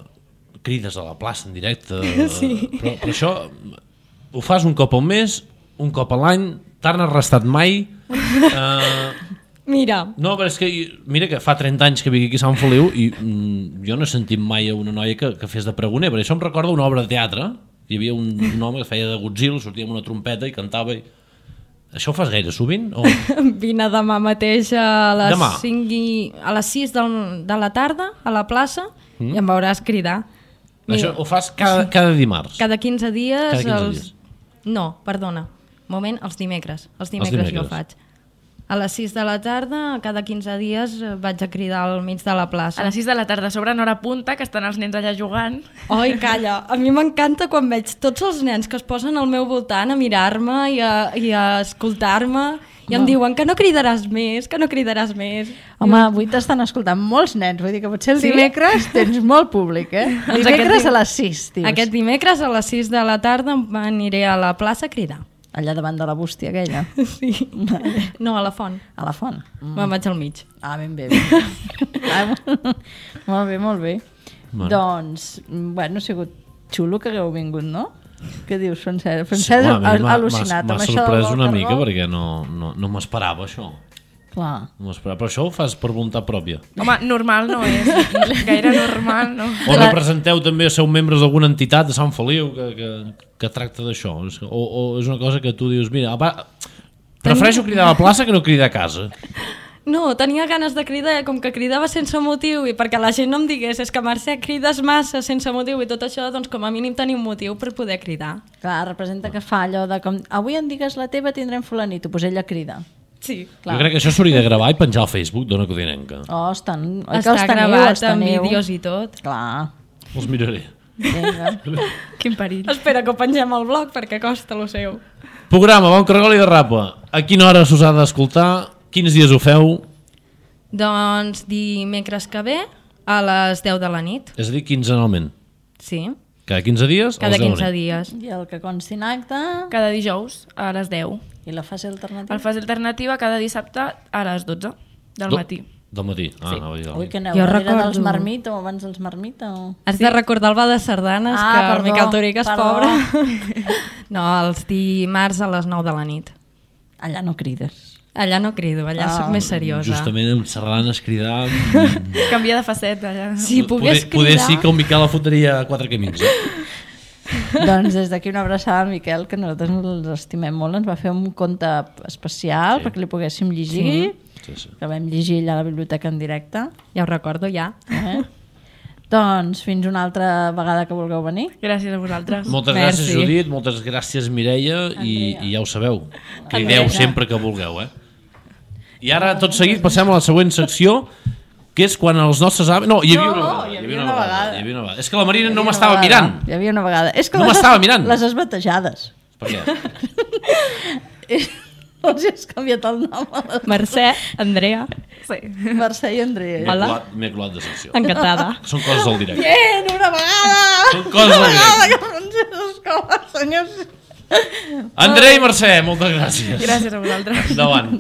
crides a la plaça en directe. Eh, Sí. Però, però això ho fas un cop al mes, un cop a l'any, t'han arrestat mai? Eh, Mira. No, però és que, mira que fa trenta anys que vinc aquí a Sant Feliu i mm, jo no he sentit mai a una noia que, que fes de pregoner, però això em recorda una obra de teatre. Hi havia un, un home que feia de Godzilla, sortia amb una trompeta i cantava. I... Això ho fas gaire sovint? O... Vine demà mateix a les, Demà. cinc i... a les sis del, de la tarda a la plaça Mm. i em veuràs cridar. Això ho fas cada, cada dimarts? Cada quinze dies. Cada quinze els... dies. No, perdona. Moment, els dimecres. Els dimecres, Els dimecres. jo faig. A les sis de la tarda, cada quinze dies, eh, vaig a cridar al mig de la plaça. A les sis de la tarda, a sobre en hora punta, que estan els nens allà jugant. Oi, calla. A mi m'encanta quan veig tots els nens que es posen al meu voltant a mirar-me i a, i a escoltar-me i em Home. diuen que no cridaràs més, que no cridaràs més. Home, avui t'estan escoltant molts nens, vull dir que potser el Sí? dimecres tens molt públic, eh? Doncs Dimecres aquest a les sis, dius. Aquest dimecres a les sis de la tarda aniré a la plaça a cridar. Allà davant de la bústia aquella. Sí. No, a la font. A la font. Mm. Me'n vaig al mig. Ah, ben bé. Ben bé. ah, molt bé, molt bé. Bueno. Doncs, bueno, ha sigut xulo que hagueu vingut, no? Què dius, Francesc? Francesc Sí, ha home, a mi m'ha- al·lucinat. M'ha amb això del sorprès una cargol. mica perquè no, no, no m'esperava això. Clar. No m'esperava. Però això ho fas per voluntat pròpia. Home, normal no és. Gaire normal, no. O representeu també, sou membres d'alguna entitat de Sant Feliu que, que, que tracta d'això? O, o és una cosa que tu dius, mira, apa, prefereixo cridar a la plaça que no cridar a casa. No, tenia ganes de cridar, com que cridava sense motiu i perquè la gent no em digués és que Mercè crides massa sense motiu i tot això, doncs com a mínim tenir un motiu per poder cridar. Clar, representa que fa allò de com avui en digues la teva tindrem fulanito, doncs ella crida. Sí. Clar. Jo crec que això s'hauria de gravar i penjar al Facebook d'Ona Codinenca. Oh, estan... oi que Està els teniu, gravat els amb teniu? vídeos i tot. Clar. Els miraré. Vinga. Quin perill. Espera que ho pengem al blog perquè costa lo seu. Programa, bon cargol i de rapa. A quina hora s'us ha d'escoltar? Quins dies ho feu? Doncs dimecres que ve a les deu de la nit. És a dir, quinzenalment. Sí, Cada quinze dies? a cada les deu de la quinze nit. dies. I el que consti en acte... Cada dijous a les deu. I la fase alternativa? El fase alternativa cada dissabte a les dotze del Do- matí. Del matí. Ah, Sí. anava a dir del Ui, matí. que aneu Jo darrere recordo- dels Marmita o abans dels Marmita? O... Has de recordar el Ball de Sardanes, Ah, que perdó, el Miquel Toric és perdó. pobre. No, els dimarts a les nou de la nit. Allà no crides. Allà no crido, allà Ah. soc més seriosa. Justament amb sardanes cridar... Canvia de faceta. Ja. Si pogués poder, poder cridar... sí que el Miquel la fotria a quatre camins. Eh? Doncs des d'aquí una abraçada al Miquel, que nosaltres els estimem molt. Ens va fer un conte especial Sí. perquè li poguéssim llegir, Sí, sí. que vam llegir allà a la biblioteca en directe. Ja ho recordo, ja. Eh? Doncs fins una altra vegada que vulgueu venir. Gràcies a vosaltres. Moltes Merci. gràcies, Judit, moltes gràcies, Mireia, i, Andrea. i ja ho sabeu, crideu Andrea. sempre que vulgueu. Eh? I ara, tot seguit, passem a la següent secció, que és quan els nostres avis... No, hi havia una vegada. Hi havia una vegada. Hi havia una vegada. És que la Marina no m'estava mirant. Hi havia una vegada. És que No les m'estava has- mirant. Les has batejades. Per què? Els has canviat el nom a les... Mercè, Andrea, Sí. Mercè i Andrea. M'he Hola. colat, m'he colat de secció. encantada. Són coses del directe. Bien, una vegada! Són coses del Una vegada directe. que Francesc Escola, senyors... Andrea i Mercè, moltes gràcies. Gràcies a vosaltres. Endavant.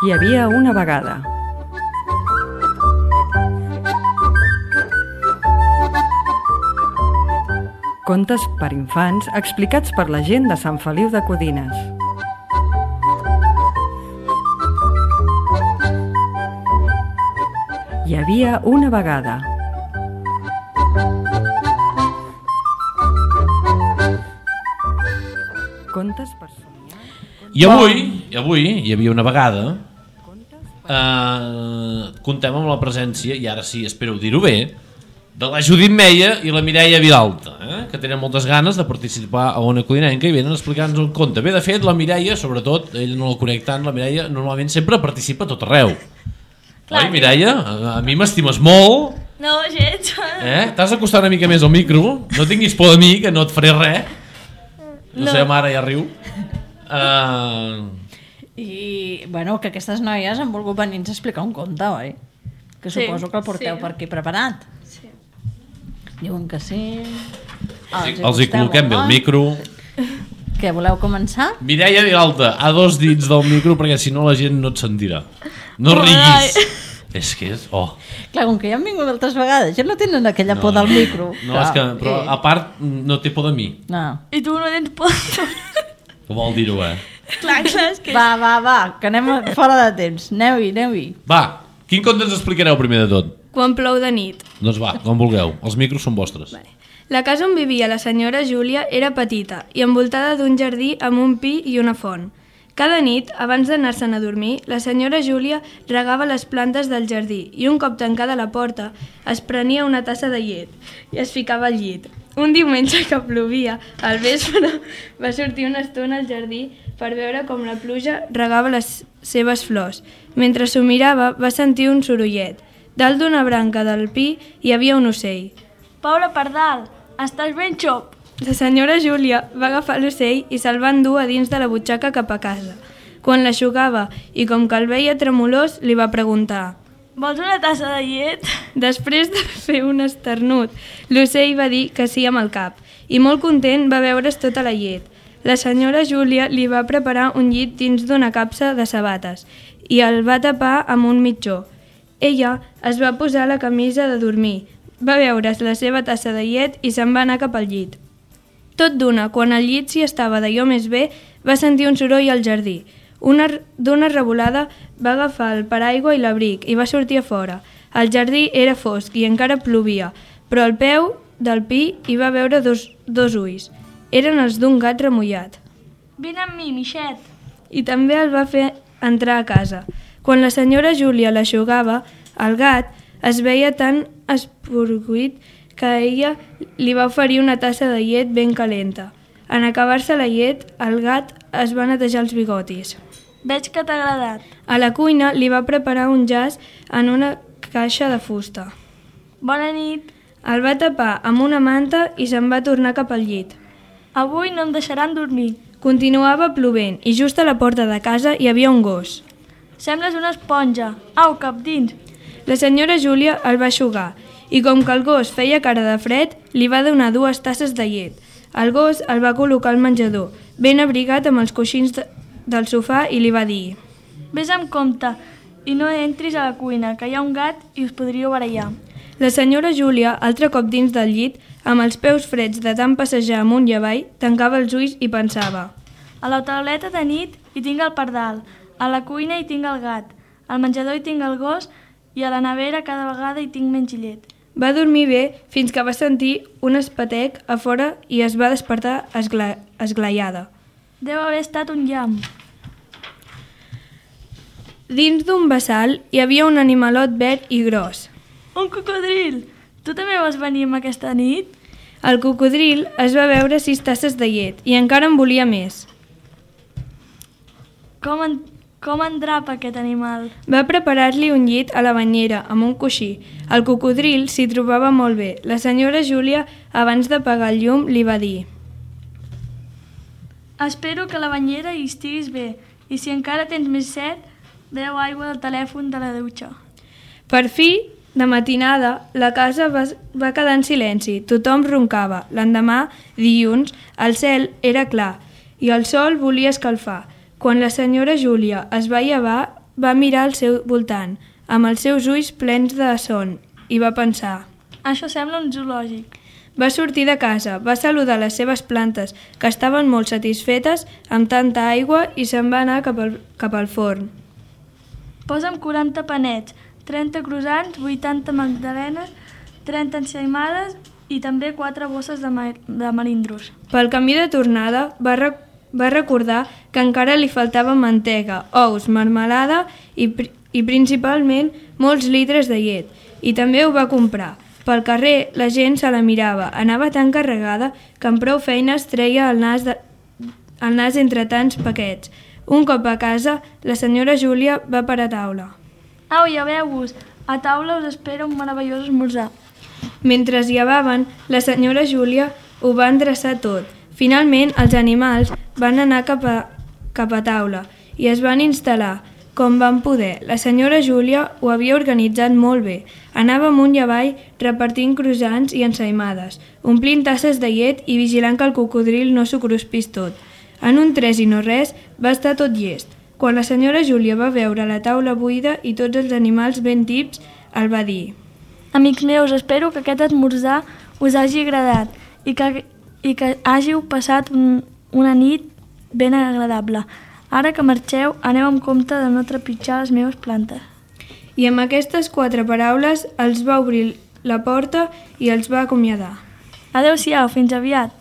Hi havia una vegada. Contes per infants explicats per la gent de Sant Feliu de Codines. Hi havia una vegada. Contes per somiar. I avui, i avui hi havia una vegada, eh, contem amb la presència, i ara sí, espero dir-ho bé, de la Judit Meia i la Mireia Vilalta, eh, que tenen moltes ganes de participar a Ona Codinenca i venen a explicar-nos un conte. Bé, de fet, la Mireia, sobretot, ella no la conec tant, la Mireia normalment sempre participa a tot arreu. Clar. Oi, Mireia? A, a mi m'estimes molt, No, gens. eh? T'has d'acostar una mica més al micro, no tinguis por de mi, que no et faré res. La No. seva mare ja riu. Uh, I, bueno, que aquestes noies han volgut venir-nos a explicar un conte, oi? Que Sí, suposo que el porteu sí. per aquí preparat. Sí. Diuen que sí. els hi gusteu col·loquem bé molt, el oi? micro. Què, voleu començar? Mireia Vilalta, a dos dits del micro perquè si no la gent no et sentirà. No riguis. És que és... Oh. Clar, com que ja han vingut altres vegades, ja no tenen aquella No, por del micro. No, Clar, és que, però eh. a part no té por de mi. No. I tu no tens por. Que vol dir-ho, eh? Clar, clar, és que... Va, va, va, que anem fora de temps. Aneu-hi, aneu-hi. Va, quin conte ens explicareu primer de tot? Quan plou de nit. Doncs va, com vulgueu. Els micros són vostres. Vale. La casa on vivia la senyora Júlia era petita i envoltada d'un jardí amb un pi i una font. Cada nit, abans d'anar-se'n a dormir, la senyora Júlia regava les plantes del jardí i un cop tancada la porta es prenia una tassa de llet i es ficava al llit. Un diumenge que plovia, al vespre va sortir una estona al jardí per veure com la pluja regava les seves flors. Mentre s'ho mirava, va sentir un sorollet. Dalt d'una branca del pi hi havia un ocell. Pobre pardal, estàs ben xop. La senyora Júlia va agafar l'ocell i se'l va endur a dins de la butxaca cap a casa. Quan l'aixugava i com que el veia tremolós, li va preguntar: Vols una tassa de llet? Després de fer un esternut, l'ocell va dir que sí amb el cap i molt content va beure's tota la llet. La senyora Júlia li va preparar un llit dins d'una capsa de sabates i el va tapar amb un mitjó. Ella es va posar la camisa de dormir, va beure's la seva tassa de llet i se'n va anar cap al llit. Tot d'una, quan al llit s'hi estava d'allò més bé, va sentir un soroll al jardí. Una, d'una revolada va agafar el paraigua i l'abric i va sortir a fora. El jardí era fosc i encara plovia, però al peu del pi hi va veure dos, dos ulls. Eren els d'un gat remullat. Vine amb mi, Mixet. I també el va fer entrar a casa. Quan la senyora Júlia l'aixugava, el gat es veia tan esporguit que ella li va oferir una tassa de llet ben calenta. En acabar-se la llet, el gat es va netejar els bigotis. Veig que t'ha agradat. A la cuina li va preparar un jaç en una caixa de fusta. Bona nit. El va tapar amb una manta i se'n va tornar cap al llit. Avui no em deixaran dormir. Continuava plovent i just a la porta de casa hi havia un gos. Sembles una esponja. Au, cap dins. La senyora Júlia el va eixugar i com que el gos feia cara de fred, li va donar dues tasses de llet. El gos el va col·locar al menjador, ben abrigat amb els coixins de, del sofà i li va dir: Ves amb compte i no entris a la cuina, que hi ha un gat i us podríeu barallar. La senyora Júlia, altre cop dins del llit, amb els peus freds de tant passejar amunt i avall, tancava els ulls i pensava: A la tauleta de nit hi tinc el pardal, a la cuina hi tinc el gat, al menjador hi tinc el gos i a la nevera cada vegada hi tinc menys llet. Va dormir bé fins que va sentir un espetec a fora i es va despertar esgla... esglaiada. Deu haver estat un llamp. Dins d'un bassal hi havia un animalot verd i gros. Un cocodril! Tu també vas venir amb aquesta nit? El cocodril es va beure sis tasses de llet i encara en volia més. Com, en... Com endrapa aquest animal? Va preparar-li un llit a la banyera amb un coixí. El cocodril s'hi trobava molt bé. La senyora Júlia, abans d'apagar el llum, li va dir: Espero que a la banyera hi estiguis bé i si encara tens més set, beu aigua del telèfon de la dutxa. Per fi, de matinada, la casa va, va quedar en silenci. Tothom roncava. L'endemà, dilluns, el cel era clar i el sol volia escalfar. Quan la senyora Júlia es va llevar, va mirar al seu voltant, amb els seus ulls plens de son, i va pensar: Això sembla un zoològic. Va sortir de casa, va saludar les seves plantes, que estaven molt satisfetes amb tanta aigua, i se'n va anar cap al, cap al forn. Posa'm quaranta panets, trenta croissants, vuitanta magdalenes, trenta ensaïmades i també quatre bosses de, ma de melindros. Pel camí de tornada va recordar Va recordar que encara li faltava mantega, ous, marmelada i, pr i principalment molts litres de llet. I també ho va comprar. Pel carrer la gent se la mirava. Anava tan carregada que amb prou feines treia el nas, de... el nas entre tants paquets. Un cop a casa, la senyora Júlia va per a taula. Au, lleveu-vos! A taula us espera un meravellós esmorzar. Mentre es llevaven, la senyora Júlia ho va endreçar tot. Finalment, els animals van anar cap a, cap a taula i es van instal·lar com van poder. La senyora Júlia ho havia organitzat molt bé. Anava amunt i avall repartint croissants i ensaïmades, omplint tasses de llet i vigilant que el cocodril no s'ho cruspís tot. En un tres i no res va estar tot llest. Quan la senyora Júlia va veure la taula buida i tots els animals ben tips, el va dir: Amics meus, espero que aquest esmorzar us hagi agradat i que, i que hàgiu passat un, una nit ben agradable. Ara que marxeu, aneu amb compte de no trepitjar les meves plantes. I amb aquestes quatre paraules els va obrir la porta i els va acomiadar. Adéu-siau, fins aviat.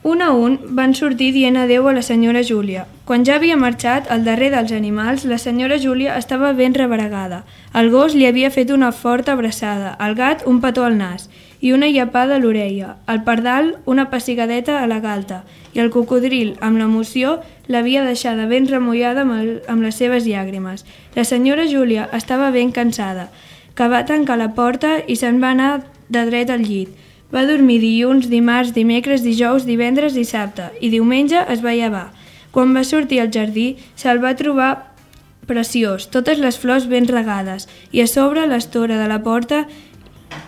Un a un van sortir dient adéu a la senyora Júlia. Quan ja havia marxat, al darrer dels animals, la senyora Júlia estava ben rebregada. El gos li havia fet una forta abraçada, el gat un petó al nas i una llapada a l'orella, el pardal una pessigadeta a la galta i el cocodril, amb l'emoció, l'havia deixada ben remullada amb, el, amb les seves llàgrimes. La senyora Júlia estava ben cansada, que va tancar la porta i se'n va anar de dret al llit. Va dormir dilluns, dimarts, dimecres, dijous, divendres i dissabte, i diumenge es va llevar. Quan va sortir al jardí, se'l va trobar preciós, totes les flors ben regades, i a sobre l'estora de la porta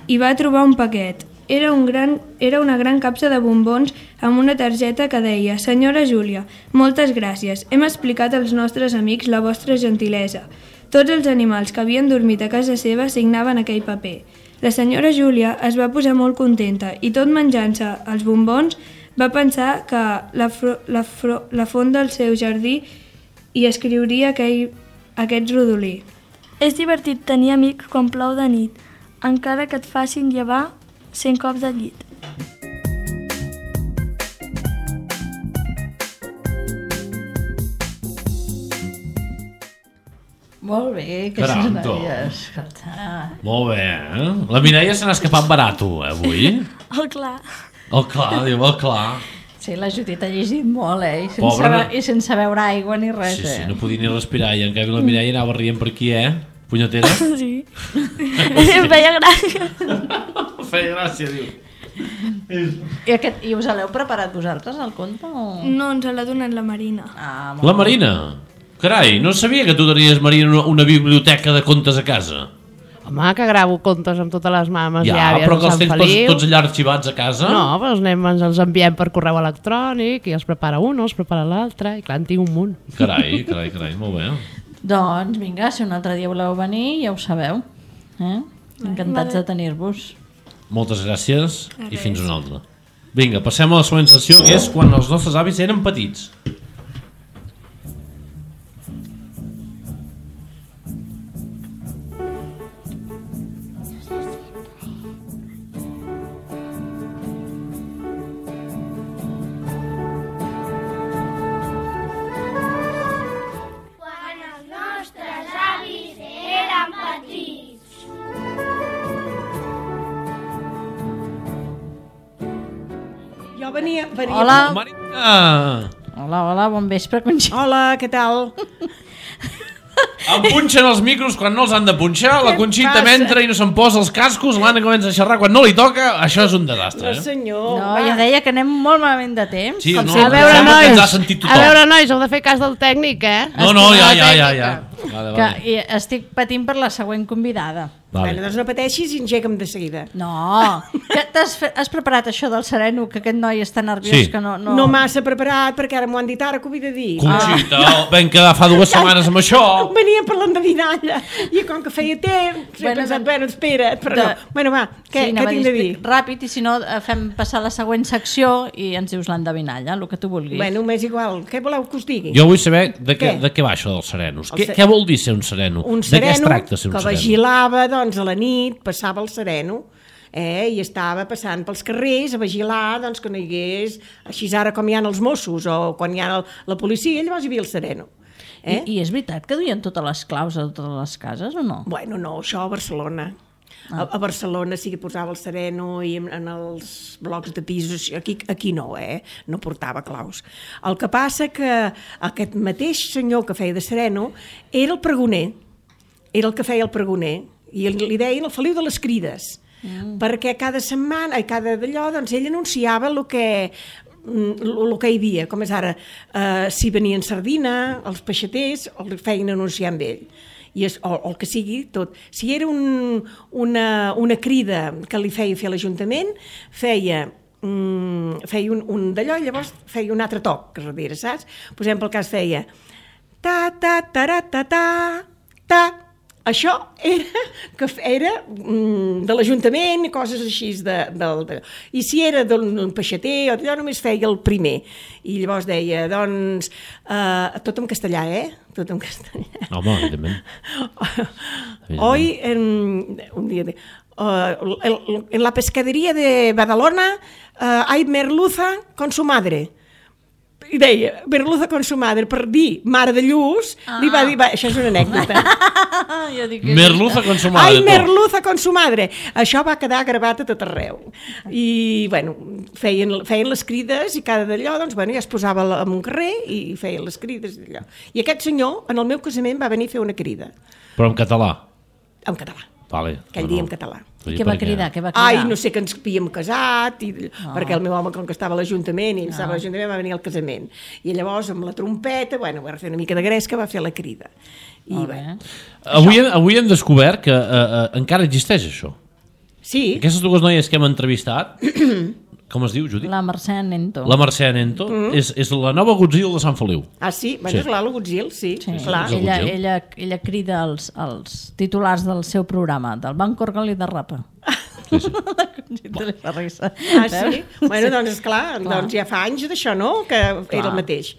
hi va trobar un paquet. Era, un gran, era una gran capsa de bombons amb una targeta que deia: Senyora Júlia, moltes gràcies. Hem explicat als nostres amics la vostra gentilesa. Tots els animals que havien dormit a casa seva signaven aquell paper. La senyora Júlia es va posar molt contenta i tot menjant-se els bombons va pensar que la, fro, la, fro, la font del seu jardí hi escriuria aquell, aquest rodolí. És divertit tenir amics quan plou de nit, encara que et facin llevar cent cops de llit. Molt bé, que Caram, se tu. n'havia escoltat. Molt bé, eh? La Mireia se n'ha escapat barato, eh, avui? Oh, clar. Oh, clar, diu, oh, clar. Sí, la Judit ha llegit molt, eh? I sense, Pobra, no? I sense beure aigua ni res, Sí, sí, eh? no podia ni respirar, i en canvi la Mireia anava rient per aquí, eh? Punyetera. Sí. Em feia gràcia. Feia gràcia, diu. I, aquest, I us l'heu preparat vosaltres, el conte? O... No, ens l'ha donat la Marina. Ah, La Marina? Carai, no sabia que tu tenies, Marina, una, una biblioteca de contes a casa. Home, que gravo contes amb totes les mames Ja, i àvies però de que els Sant tens tots, Feliu. tots allà arxivats a casa? No, però els anem, ens els enviem per correu electrònic i els prepara un, els prepara l'altre, i clar, en tinc un munt. Carai, carai, carai, molt bé. Doncs vinga, si un altre dia voleu venir, ja ho sabeu. Eh? Encantats de tenir-vos. Moltes gràcies i fins una altra. Vinga, passem a la següent sessió, que és quan els nostres avis eren petits. Quan els nostres avis eren petits. Jo venia... venia Hola. Marina! Hola, hola, bon vespre, Conxita. Hola, què tal? Em punxen els micros quan no els han de punxar, la Conxita m'entra i no se'n posa els cascos, l'Anna comença a xerrar quan no li toca, això és un desastre, eh? senyor. No, jo deia que anem molt malament de temps. Sí, Com no, si- A veure, sembla que ens ha nois, sentit a tothom. veure, nois, heu de fer cas del tècnic, eh? No, no, ja, ja, ja, ja. Vale, Que vale. i estic patint per la següent convidada. Vale. Bueno, doncs no pateixis i engega'm de seguida. No, que t'has fe- has preparat això del sereno, que aquest noi està nerviós, Sí. que no... No, No massa preparat, perquè ara m'ho han dit ara que ho havia de dir. Conxita, vam quedar fa dues setmanes amb això. Venia parlant de dinalla i com que feia temps he Bueno, pensat, doncs- bueno, espera't, però de- no. Bueno, va, què, anava què a tinc de dir? Ràpid, i si no, eh, fem passar la següent secció i ens dius l'endevinalla, el que tu vulguis. Bueno, m'és igual. Què voleu que us digui? Jo vull saber de què, Què? de què va això dels serenos. El Què, se- què vol dir ser un sereno? Un de què es sereno tracta ser un que sereno? vigilava, doncs, a la nit, passava el sereno, eh, i estava passant pels carrers a vigilar, doncs, que no hi hagués, així ara com hi ha els Mossos o quan hi ha el, la policia, llavors hi havia el sereno. Eh? I, I és veritat que duien totes les claus a totes les cases o no? Bueno, no, això a Barcelona. A, a Barcelona sí que posava el sereno i en, en els blocs de pisos, aquí, aquí no, eh? No portava claus. El que passa que aquest mateix senyor que feia de sereno era el pregoner, era el que feia el pregoner, i li deien el Feliu de les Crides, mm. perquè cada setmana, i cada d'allò, doncs ell anunciava el que el que hi havia, com és ara, eh, si venien sardina, els peixaters, el feien anunciar amb ell. I és, o, o el que sigui, tot. Si era un, una, una crida que li feia fer a l'Ajuntament, feia, mm, feia un, un d'allò i llavors feia un altre toc, que darrere, saps? Per exemple, el cas feia ta, ta, ta, ta, ta, ta. Això era, que era mm, de l'Ajuntament i coses així. De, de, de, I si era d'un peixater, allò només feia el primer. I llavors deia, doncs, uh, tot en castellà, eh? Tot en castellà. Home, evidentment. Hoy, en, un dia... De, uh, el, en la pescadería de Badalona uh, hay merluza con su madre. I deia, merluza con su madre, per dir mare de lluç, ah. li va dir, va, això és una anècdota. Merluza con su madre. Ai, merluza con su madre. Això va quedar gravat a tot arreu. I, bueno, feien, feien les crides i cada d'allò, doncs, bueno, ja es posava en un carrer i feien les crides i allò. I aquest senyor, en el meu casament, va venir a fer una crida. Però en català? En català. Vale. Aquell dia en català. I què va cridar? Què va cridar? Ai, no sé, que ens havíem casat, i, oh. perquè el meu home, com que estava a l'Ajuntament, i oh. estava a l'Ajuntament, va venir al casament. I llavors, amb la trompeta, bueno, va fer una mica de gresca, va fer la crida. I, oh, bé. Avui, hem, avui hem descobert que uh, uh, encara existeix això. Sí. Aquestes dues noies que hem entrevistat, com es diu, Judit? La Mercè Nento. La Mercè Nento, mm. és, és la nova Godzilla de Sant Feliu. Ah, sí? Bueno, sí. És l'Ala Godzilla, sí. Sí. Clar. Ella, ella, ella crida els, els titulars del seu programa, del Banc Orgali de Rapa. Sí, sí. La Conxita li fa risa. Ah, sí? Bueno, doncs, esclar, doncs ja fa anys d'això, no?, que clar. Era el mateix.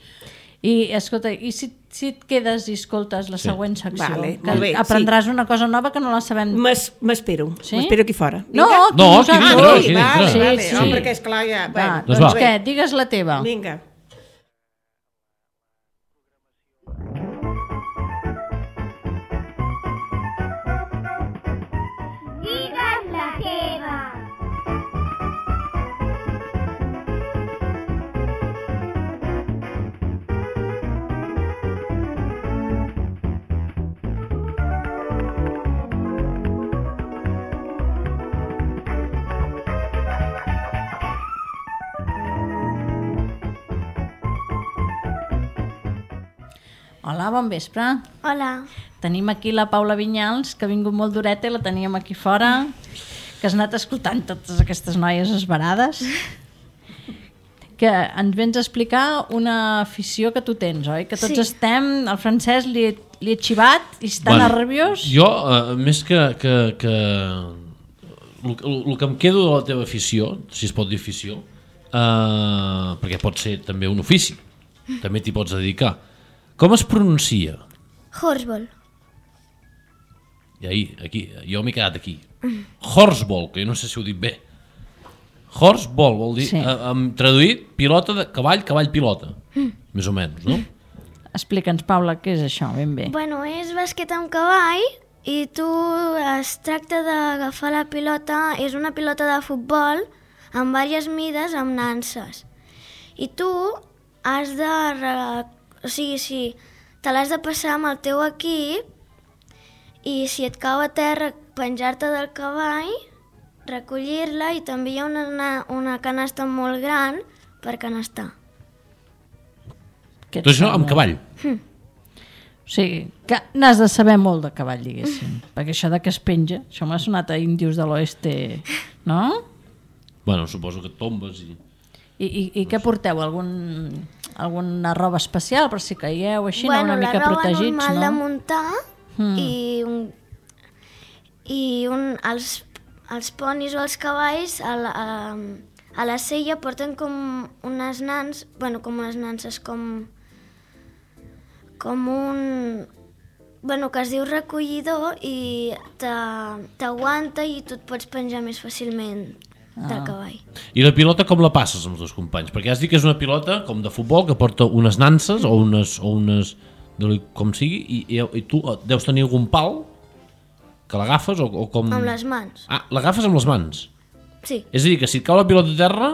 I, escolta, i si, si et quedes i escoltes la sí. següent secció, vale, que bé, aprendràs sí. una cosa nova que no la sabem... M'espero, sí? m'espero aquí fora. No, Vinga. tu, no, aquí aquí dintre. Ah, aquí dintre. Vale, sí, vale, sí. no, perquè esclar ja... Va, Bueno, doncs, doncs va. què, digues la teva. Vinga. Digues la teva. Hola, bon vespre. Hola. Tenim aquí la Paula Vinyals, que ha vingut molt d'horeta i la teníem aquí fora, que has anat escoltant totes aquestes noies esverades, que ens vens a explicar una afició que tu tens, oi? Que tots Sí. estem... El Francesc li, li ha xivat i està Bueno, nerviós. Jo, uh, més que... que, que el, el, el que em quedo de la teva afició, si es pot dir afició, uh, perquè pot ser també un ofici, també t'hi pots dedicar. Com es pronuncia? Horseball. I ahí, aquí, jo m'he quedat aquí. Horseball, que jo no sé si ho dic bé. Horseball vol dir, Sí. sí. uh, um, traduït, pilota de cavall, cavall pilota. Mm. Més o menys, no? Explica'ns, Paula, què és això, ben bé. Bueno, és bàsquet amb cavall i tu es tracta d'agafar la pilota, és una pilota de futbol amb diverses mides amb nanses. I tu has de... Re... O sigui, si te l'has de passar amb el teu equip i si et cau a terra penjar-te del cavall, recollir-la i també hi ha una, una canasta molt gran per canastar. Què et Tot això sembla? amb cavall. Hm. O sigui, que n'has de saber molt de cavall, diguéssim. Perquè això de que es penja, això m'ha sonat a índios de l'oeste, no? Bueno, suposo que et tombes i... I, i, i què porteu? Algun, alguna roba especial per si caieu així, Bueno, no? Una mica la roba protegits, normal no? de muntar Mm. i, un, i un, els, els ponis o els cavalls a la, a, a la sella porten com unes nans, bueno, com unes nanses, com, com un... Bueno, que es diu recollidor i te- t'aguanta i tu et pots penjar més fàcilment del Ah. cavall. I la pilota com la passes amb els dos companys? Perquè has dit que és una pilota com de futbol que porta unes nanses o unes, o unes com sigui, i, i, i tu deus tenir algun pal que l'agafes o, o com... Amb les mans. Ah, l'agafes amb les mans? Sí. És a dir, que si et cau la pilota a terra,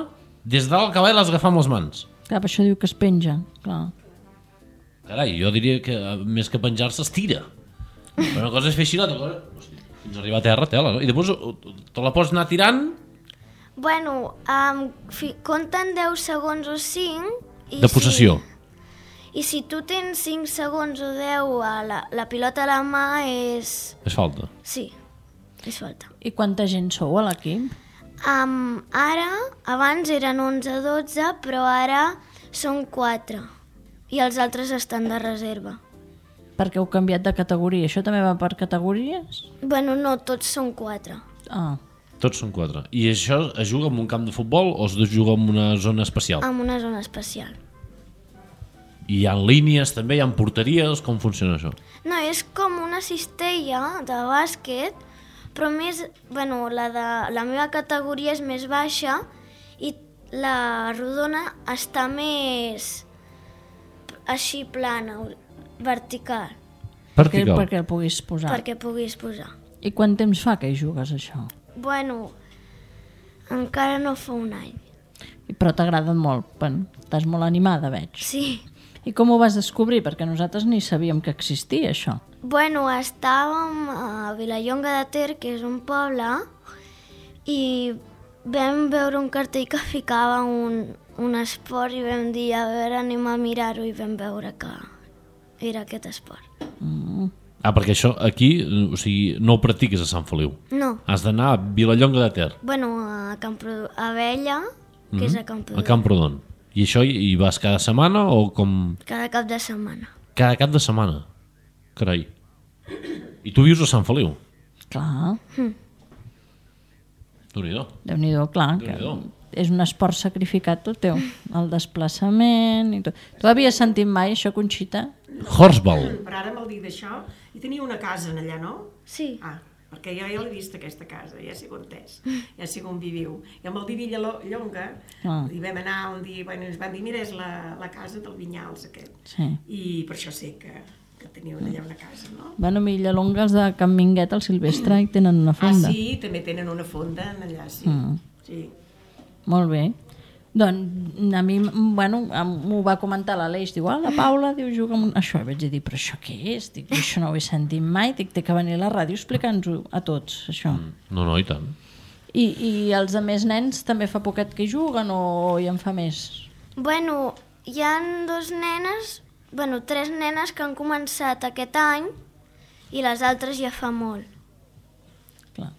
des dalt al cavall l'has d'agafar amb les mans. Clar, per això diu que es penja, clar. Carai, jo diria que eh, més que penjar-se es tira. Però una cosa és fer així, l'altra cosa... Hosti, fins a arribar a terra, tela, no? I després eh, te la pots anar tirant... Bueno, um, fi, compten deu segons o cinc... I de possessió. Si, I si tu tens cinc segons o deu a la, la pilota a la mà és... És falta. Sí, és falta. I quanta gent sou a l'equip? Um, ara, abans eren onze o dotze, però ara són quatre. I els altres estan de reserva. perquè heu canviat de categoria. Això també va per categories? Bueno, no, tots són quatre. Ah. Tots són quatre. I això es juga en un camp de futbol o es juga en una zona especial? En una zona especial. I hi ha línies també, hi ha porteries, com funciona això? No, és com una cistella de bàsquet, però més, bueno, la, de, la meva categoria és més baixa i la rodona està més així plana, vertical. Vertical. Perquè, perquè el puguis posar. Perquè puguis posar. I quant temps fa que hi jugues, això? Bueno, encara no fa un any. Però t'agrada molt, bueno, estàs molt animada, veig. Sí. I com ho vas descobrir? Perquè nosaltres ni sabíem que existia, això. Bueno, estàvem a Vilallonga de Ter, que és un poble, i vam veure un cartell que ficava un, un esport i vam dir, a veure, anem a mirar-ho, i vam veure que era aquest esport. Mm. Ah, perquè això aquí, o sigui, no ho practiques a Sant Feliu. No. Has d'anar a Vilallonga de Ter. Bueno, a Camprodon, a Abella, que mm-hmm. és a Camprodon. A Camprodon. I això hi vas cada setmana o com... Cada cap de setmana. Cada cap de setmana? Carai. I tu vius a Sant Feliu? Clar. Mm. Déu-n'hi-do. Déu-n'hi-do, clar. Déu-n'hi-do. Que és un esport sacrificat tot teu. El desplaçament i tot. Tu havies sentit mai això, Conxita? Horsball. Però ara m'ho dic d'això. I tenia una casa en allà, no? Sí. Ah, perquè jo ja l'he vist aquesta casa, ja sé on és, ja sé on viviu. I amb el Divi Llonga ah. hi vam anar un dia, bueno, ens van dir, mira, és la, la casa del Vinyals aquest. Sí. I per això sé que, que teniu allà una casa, no? Bueno, a Vilallonga, els de Can Minguet, al Silvestre, hi tenen una fonda. Ah, sí, també tenen una fonda allà, sí. Mm. Sí. Molt bé. Doncs a mi, bueno, m'ho va comentar l'Aleix, diu, ah, la Paula, diu, juga amb això. I vaig dir, però això què és? Dic, això no ho he sentit mai, dic, té que venir a la ràdio explicant-nos-ho a tots, això. Mm. No, no, i tant. I, I els altres nens també fa poquet que hi juguen o hi en fa més? Bueno, hi ha dos nenes, bueno, tres nenes que han començat aquest any i les altres ja fa molt. Clar.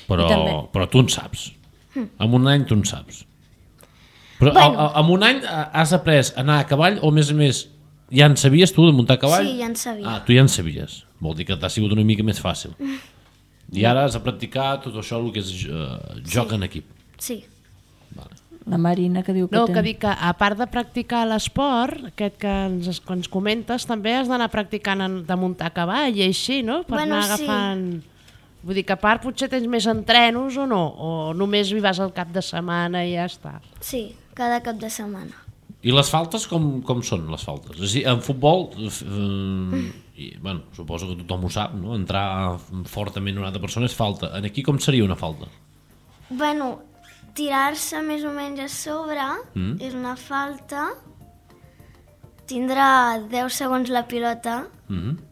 Però, però tu en saps. Mm. En un any tu en saps. Però bueno. a, a, en un any has après a anar a cavall o més a més ja en sabies tu de muntar a cavall? Sí, ja en sabia. Ah, tu ja en sabies. Vol dir que t'ha sigut una mica més fàcil. Mm. I ara has de practicar tot això el que és uh, joc sí. en equip. Sí. Vale. La Marina que diu que no, té... que dic que a part de practicar l'esport, aquest que ens, que ens comentes, també has d'anar practicant en, de muntar a cavall i així, no? Per bueno, anar agafant... Sí. Vull dir que a part potser tens més entrenos o no? O només hi vas al cap de setmana i ja està? Sí, cada cap de setmana. I les faltes com, com són les faltes? És a dir, en futbol, eh, i, bueno, suposo que tothom ho sap, no? Entrar fortament una altra persona és falta. En aquí com seria una falta? Bueno, tirar-se més o menys a sobre mm. és una falta. Tindrà deu segons la pilota. Mm-hmm.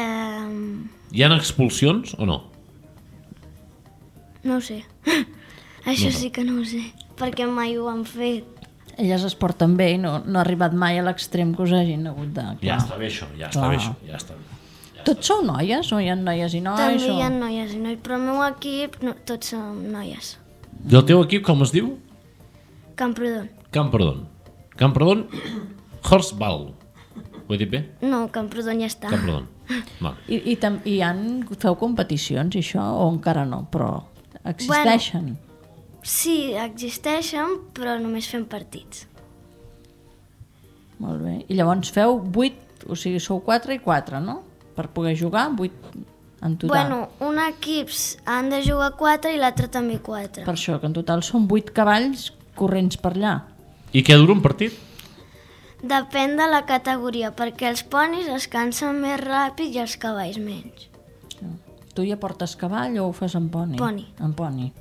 Eh... Hi ha expulsions o no? No ho sé. Això no sí que no ho sé, perquè mai ho han fet. Elles es porten bé i no, no ha arribat mai a l'extrem que us hagin hagut de... Clar. Ja està bé això, ja està clar. bé això. Ja està bé. Ja tots està. Sou noies o hi ha noies i nois? També o... hi ha noies i nois, però el meu equip no, tots som noies. I el teu equip com es diu? Camprodon. Camprodon. Camprodon Horsball. Ho he dit bé? No, Camprodon ja està. Camprodon. Vale. I, i, tam, i han, feu competicions i això o encara no? Però existeixen? Bueno, sí, existeixen, però només fem partits. Molt bé. I llavors feu vuit, o sigui, sou quatre i quatre, no? Per poder jugar, vuit en total. Bueno, un equip han de jugar quatre i l'altre també quatre. Per això, que en total són vuit cavalls corrents per allà. I què dura un partit? Depèn de la categoria, perquè els ponis es cansen més ràpid i els cavalls menys. Tu ja portes cavall o ho fas en poni? Poni. En poni.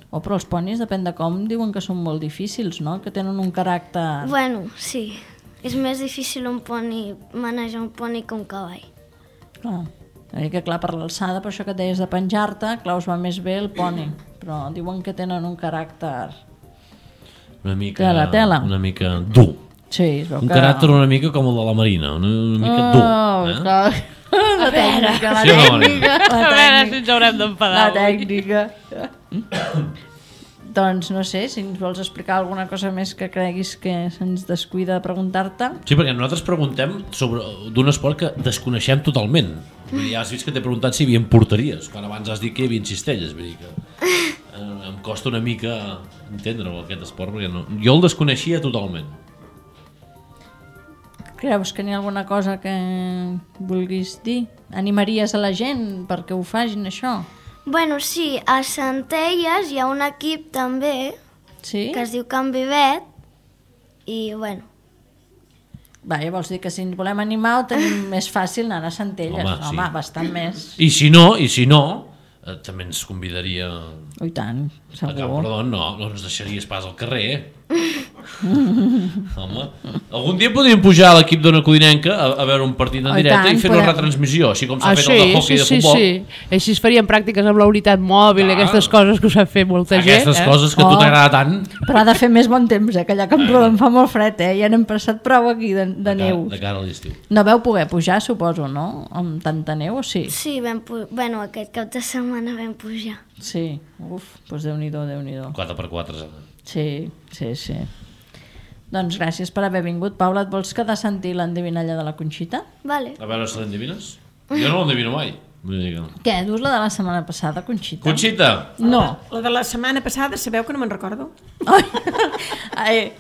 O però els ponis, depèn de com, diuen que són molt difícils, no? Que tenen un caràcter... Bueno, sí. És més difícil un poni, manejar un poni que un cavall. Clar. Que clar, per l'alçada, per això que deies de penjar-te, clar, us va més bé el poni. Però diuen que tenen un caràcter... Una mica... Tela, tela. Una mica dur. Sí, es veu un que... caràcter una mica com el de la Marina, una, una mica oh, dur. Eh? Clar. La tècnica, la sí, tècnica. La a veure si ens haurem d'enfadar. La tècnica. Doncs no sé, si ens vols explicar alguna cosa més que creguis que se'ns descuida de preguntar-te. Sí, perquè nosaltres preguntem sobre d'un esport que desconeixem totalment. Vull dir, ja has vist que t'he preguntat si hi havia porteries, quan abans has dit que hi havia cistelles. Vull dir que eh, em costa una mica entendre-ho, aquest esport, perquè no... jo el desconeixia totalment. Creus que n'hi ha alguna cosa que vulguis dir? Animaries a la gent perquè ho facin, això? Bueno, sí, a Centelles hi ha un equip també sí? que es diu Can Vivet i, bueno... Va, vols dir que si ens volem animar ho tenim més fàcil anar a Centelles. Home, sí. Home, bastant més. I si no, i si no, eh, també ens convidaria... Oh, i tant, segur. A Camprodon, no, no ens deixaries pas al carrer, eh? Home, algun dia podríem pujar a l'equip d'Ona Codinenca a, a veure un partit en Oh, directe tant, i fer podem. una retransmissió, així com s'ha Ah, fet sí, el de hockey sí, de sí, futbol. sí. Així es farien pràctiques amb la unitat mòbil i aquestes coses que us ha fet molta gent. Aquestes eh? coses que a tu t'agrada tant. Però ha de fer més bon temps, eh? Que allà a Camprodon fa molt fred, eh? Ja n'hem passat prou aquí de, de neu. De cara a l'estiu. No veu poder pujar, suposo, no? Amb tanta neu, o sí? Sí, vam pu- bueno, aquest cap de setmana vam pujar. Sí, uf, doncs Déu-n'hi-do, Déu-n'hi-do. quatre per quatre. Sí, sí, sí. Doncs gràcies per haver vingut. Paula, et vols quedar a sentir l'endevinalla de la Conxita? Vale. A veure si l'endevines. Jo no l'endevino mai. Vull dir que... Què, dus la de la setmana passada, Conxita? Conxita! No. La de la setmana passada, sabeu que no me'n recordo? Ai.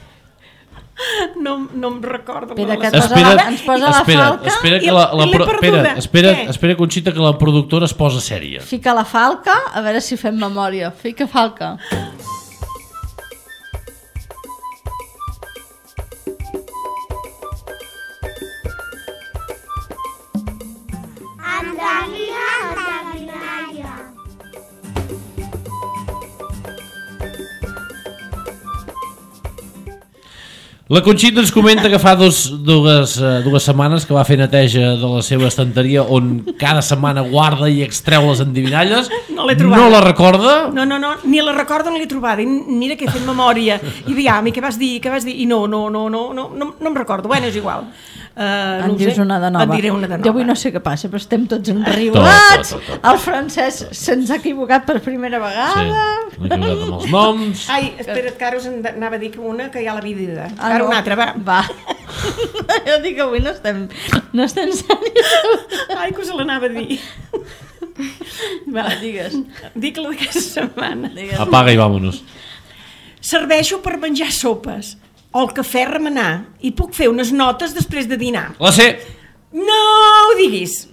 No, no em recordo. Espera, la que de la et posa setmana. la, ens posa la espera, falca. espera, que I- la, i la, l'he pro- perduda. espera, espera, Què? espera, Conxita, que la productora es posa sèria. Fica la falca, a veure si fem memòria. Fica falca. Endevina, endevinalla. La Conxita ens comenta que fa dos, dues, eh, dues setmanes que va fer neteja de la seva estanteria on cada setmana guarda i extreu les endivinalles. No l'he trobada. No la recorda? No, no, no, ni la recordo ni l'he trobada. I mira que he fet memòria. I diam, i què vas dir, què vas dir? I no, no, no, no, no, no, no em recordo. Bueno, és igual. Uh, En dius una de nova. Et diré una de nova. Jo avui no sé què passa, però estem tots Tot, enriolats. tot, tot, tot. El francès se'ns ha equivocat per primera vegada. Sí, m'he equivocat amb els noms. Ai, espera't, que ara us en- anava a dir que una que ja l'havia dit. Ah, Ara no. una altra, va. Va. Jo dic que avui no estem, no estem serios. Ai, que us l'anava a dir. Va, digues. Dic la d'aquesta setmana. Apaga i vámonos. Serveixo per menjar sopes o el cafè remenar i puc fer unes notes després de dinar. La sé. No ho diguis.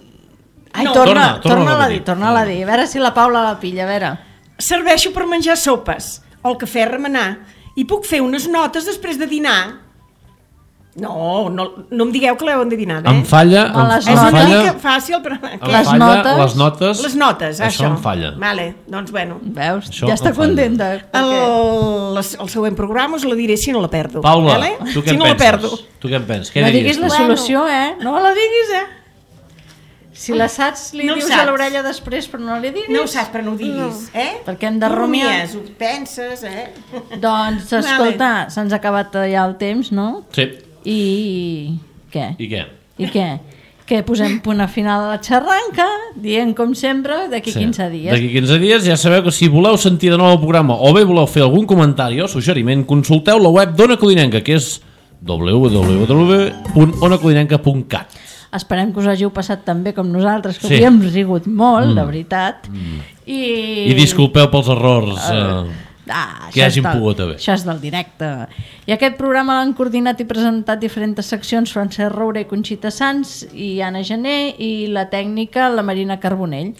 Ai, No. torna, Torna, torna torna, a a repetir. dir, torna a dir. A veure si la Paula la pilla, a veure. Serveixo per menjar sopes o el cafè remenar i puc fer unes notes després de dinar. No, no, no em digueu que l'heu endevinat, eh? Em falla, No, em, les em És una falla, mica fàcil, però... em Què? Les falla notes. les notes. Les notes, això. Això em falla. Vale, doncs bueno. Veus? Això ja està em falla. contenta. El, perquè- el següent programa us la diré si no la perdo. Paula, vale? tu què si en no la penses? perdo. Tu què en penses? Què No diries diguis la tu? solució, eh? No la diguis, eh? Si la saps, li No ho dius saps. a l'orella després, però no li diguis. No ho saps, però no ho diguis, eh? Perquè hem de No rumiar. rumies, ho penses, eh? Doncs, escolta, se'ns ha acabat ja el temps, no? Sí. I... què? I què? I què? Que posem punt a final a la xarranca, dient com sempre, d'aquí Sí. quinze dies. D'aquí quinze dies ja sabeu que si voleu sentir de nou el programa o bé voleu fer algun comentari o suggeriment, consulteu la web d'Ona Codinenca, que és w w w punt ona codinenca punt cat. Esperem que us hàgiu passat tan bé com nosaltres, que Sí. avui hem rigut molt, Mm. de veritat. I... I disculpeu pels errors eh, Ah, que això hagin és del- pogut haver. Això és del directe. I aquest programa l'han coordinat i presentat diferents seccions Francesc Roure i Conxita Sans i Anna Gené, i la tècnica la Marina Carbonell.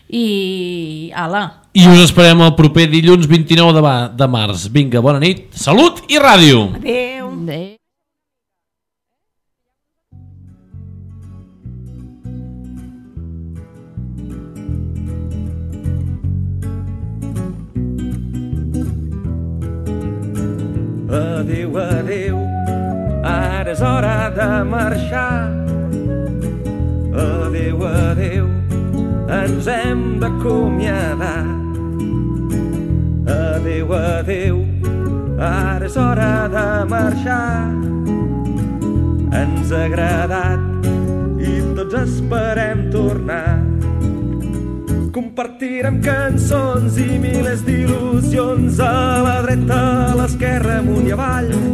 I ala, I us esperem el proper dilluns vint-i-nou de, va- de març. Vinga, bona nit, salut i ràdio! Adéu. adéu. Adéu, adéu, ara és hora de marxar. Adéu, adéu, ens hem d'acomiadar. Adéu, adéu, ara és hora de marxar. Ens ha agradat i tots esperem tornar. Compartirem cançons i milers d'il·lusions a la dreta, a l'esquerra, amunt i avall.